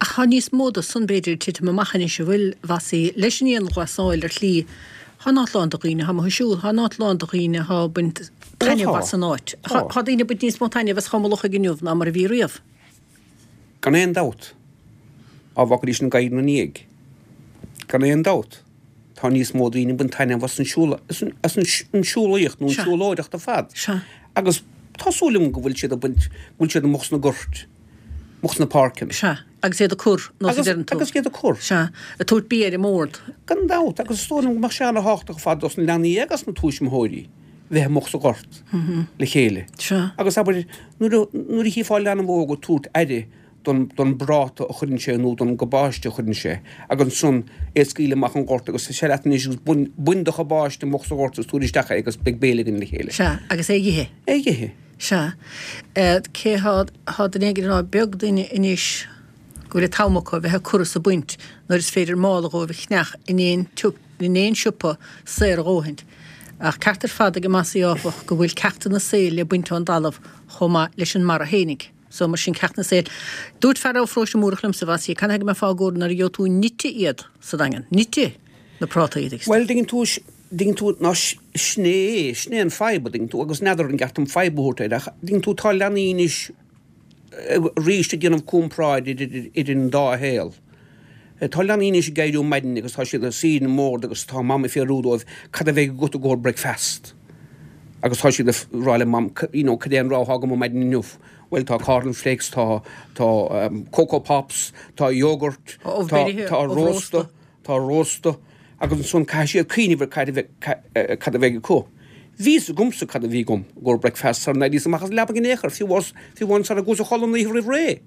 Ach tá níos mó de san b'fhéidir ag titim amach anois an bhfuil, a Mhossie, leis an ndianghlasáil ar shlí, tá an áit lán de dhaoine, tá amuigh ag siúl, tá an áit lán de dhaoine atá ag baint taitneamh as an áit. Tá daoine ag baint níos mó taitneamh as Chom an Lochaigh inniu ná mar a bhí riamh. Gan aon dabht. Á bhfágfaidís an gadhair ina ndiaidh. Gan aon dabht. Tá níos mó daoine ag baint taitneamh as an siúl, as an siúlaíocht nó an siúlóireacht ar fad. Agus tá súil agam go bhfuil siad ag baint, go bhfuil siad amuigh sna goirt, amuigh sna páirceanna. Agus iad ag cur, nós a deireann tú. Agus iad ag cur. Sea. Ag tabhairt bia ar an mbord. Gan dabht, agus is dóigh liom go mbeadh sé ana-thábhachtach ar fad dos na leanaí agus na tuismitheoirí bheith amuigh sa ghort le chéile. Sea. Agus abair, nuair a, nuair a chífeá leanbh óg ag tabhairt aire don, don bpráta a chuireann sé nó don gcabáiste a chuireann sé agus ansan é a scaoileadh amach an gort agus sea leat anois agus bain, bain do chabáiste amuigh sa ghort agus tabhair isteach é agus beidh béile againn le chéile. Sea, agus é a dh'ithe. É a dh'ithe. Sea. Cé thá, thá duine éigin ag rá, beag duine anois go bhfuil an t-am acu a bheith ag cur is ag baint nuair is féidir mála dhóibh a cheannach in aon in aon siopa saor a dhóthaint. Ach ceart ar fad ag Mossie áfach go bhfuil ceachtanna saoil le baint ón dtalamh chomh maith leis an mbarra fhéinig. So mar sin ceachtanna saoil. Dúirt fear ó Pharóiste Múrach liomsa, Mhossie, canathaobh go mbeifeá ag comhaireamh nuair a gheobhaidh tú nite iad sa Daingean? Nite na prátaí iad. Bhuel, dtuigeann tú, dtuigeann tú, ná sin é, sin é an fadhb, a dtuigeann tú, agus n'fheadar an gceart dom fadhb a thabhairt air, ach dtuigeann tú, tá leanaí anois arís ag déanamh comparáid idir, idir an dá shaol. Tá leanaí anois ag éirí um maidin agus tá siad ag suí ar an mbord agus tá mam ag fiafraí dóibh cad a bheidh agat i gcomhair bricfeast? Agus tá siad ag rá le mam, you know, cad é an rogha atá agam um maidin inniu? Bhuel, tá corn flakes, tá, tá Coco Pops, tá yogurt, tá, tá rósta. Tá rósta agus ansan caithfidh siad cuimhneamh ar cad a bheidh cad a bheidh acu. Bhí fhios agamsa cad a bhí agam i gcomhair bricfeast sara n-éiríos amach as an leaba in aon chor, fiú fiú amháin sara gcuas a chodladh an oíche roimh ré.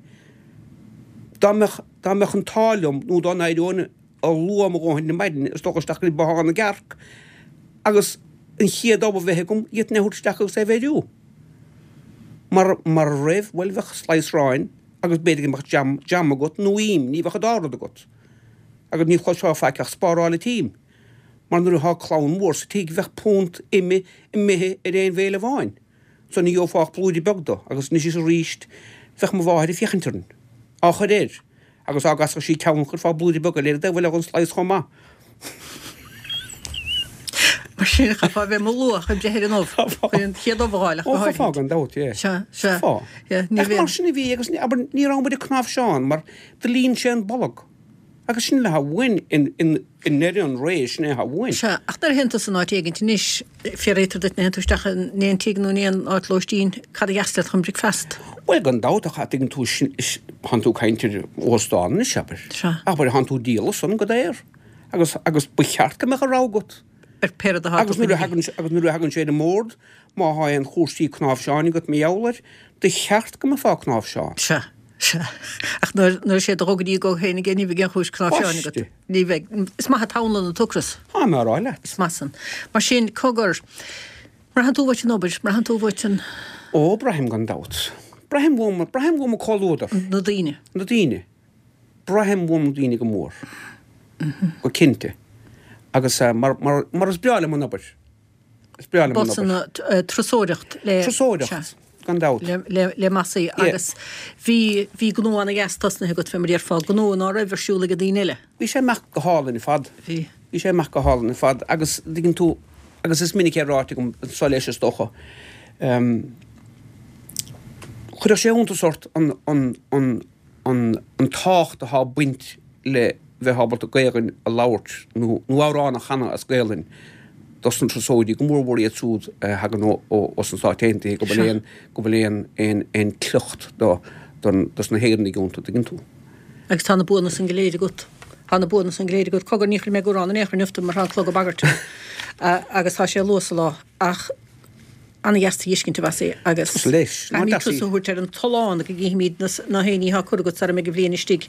Dá mbeadh dá mbeadh an t-ádh liom nó dá n-éireoinn luath mo dhóthain ar maidin is dul isteach go dtí bothán na gcearc agus an chéad ubh a bheith agam, d'fhéadfainn é a thabhairt isteach agus é a bheiriú. Mar mara raibh, bhuel bheadh slice aráin agus b'fhéidir go mbeadh jam jam agat nó im, ní bheadh an dá rud agat. Agus ní chloisfeá faic ach spáráil an t-im, mar nuair atá clann mhór sa tigh bheadh punt ime imithe ar aon bhéile amháin. So ní gheofá ach blúire beag do, agus anois is aríst bheadh mo mháthair ag féachaint orainn, á chur air, agus dá gcasfadh sí ceann chuirfeá blúire beag eile air i dtaobh eile dhon slice chomh maith. Mar sin, chaithfeá a bheith amuigh luath chun breith ar an ubh, chun an chéad ubh a fháil ach go háirithe. Ó, chaithfeá gan dabht, yeah. Sea, sea. Chaithfeá. Yeah, ní Ach mar sin a bhí agus abair ní raibh muid ag cnáimhseán mar Do líon sé an bolg. Agus sin atá uainn i ndeireadh an ré, sin é atá uainn. Sea, ach nuair a théann tú san áit éigint anois, fiafraítear duit nuair a théann tú isteach in aon tigh nó in aon áit lóistín, cad a dheas leat chun bricfeast? Bhuel, gan dabht, ach tuigeann tú, thánn tú ag caint ar óstán anois, abair. Sea. Abair, thánn tú ag díol san go daor. Agus, agus ba cheart go mbeadh a rogha agat. Ar pé rud atá Agus nuair a thagann, agus nuair a thagann sé ar an mbord, má thá aon chúrsaí cnáimhseáin agat mar gheall air, do cheart go mbeifeá ag cnáimhseán. Sea. Sea. Ach nuair, nuair is é do dhul go dtí go féin aige, ní bheidh aon chúis cnáimhseáin agat. Baiste. Ní bheidh. Is maith an t-anlann an t-ocras. Tá mé á rá leat. Is maith san. Mar sin, cogar, mbraitheann tú uait an obair, mbraitheann tú uait an. Ó, braithim gan dabht. Braithim uaim, braithim uaim an comhluadar. Na daoine. Na daoine. Braithim uaim na daoine go mór. Go cinnte. Agus mar, mar, mar is breá liom an obair. Is breá liom an obair. B'shin turasóireacht le. Turasóireacht, gan dabht. Le, le Mossie agus bhí, bhí gnó ana-dheas tosnaithe agat fé mar a déarfá, gnó ná raibh ar siúl ag an daoine eile. Bhí sé amach go hálainn ar fad. Bhí. Bhí sé amach go hálainn ar fad agus dtuigeann tú, agus is minic é ráite agam anso leis is dócha, chuirfeadh sé iontas ort an, an, an, an an tábhacht atá ag baint le bheith ábalta Gaelainn a labhairt nó nó amhrán a chanadh as Gaelainn dos na turasóirí, go mór mhór iad siúd a thagann ó ó sna Stáit Aontaithe, go bhfuil aon go bhfuil aon aon aon tsliocht do don dos na hÉireannaigh iontu, tuigeann tú. Agus tá na buanna san go léir agat. Tá na buanna san go léir agat. Cogar, ní chuirfidh mé ag amhrán in aon chor inniu mar tá an clog ag bagairt agus tá sé luath sa lá ach Ana-dheas tú a fheiscint, a Mhossie, agus Tusa leis. Ná caithfimid deas í. tusa a thabhairt ar an tollán go gcífimid na héinní atá curtha agat sara mbeidh an bhliain istigh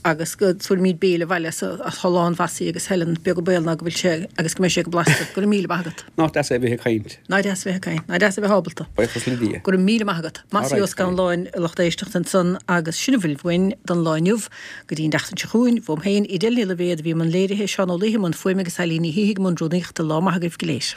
agus go dtabharfaimid béile abhaile as thollán Mhossie agus Helen, beag an baol ná go bhfuil sé agus go mbeidh sé go blasta. Go raibh míle maith agat. Nach deas é a bheith ag caint. Nach deas a bheith ag caint. Nach deas a bheith ábalta. Buíochas le Dia. Go raibh míle maith agat. Mossie Ó Scanláin, a lucht éisteachta ansan agus sin a bhfuil uainn don lá inniu. Go dtí an tseachtain seo chugainn, uaim féin, Edel Ní Loibhéad a bhí i mbun léirithe, Seán Ó Laoithe i mbun fuaime agus Eilín Ní Shíthigh i mbun rúnaíochta. Lá maith agaibh go léir.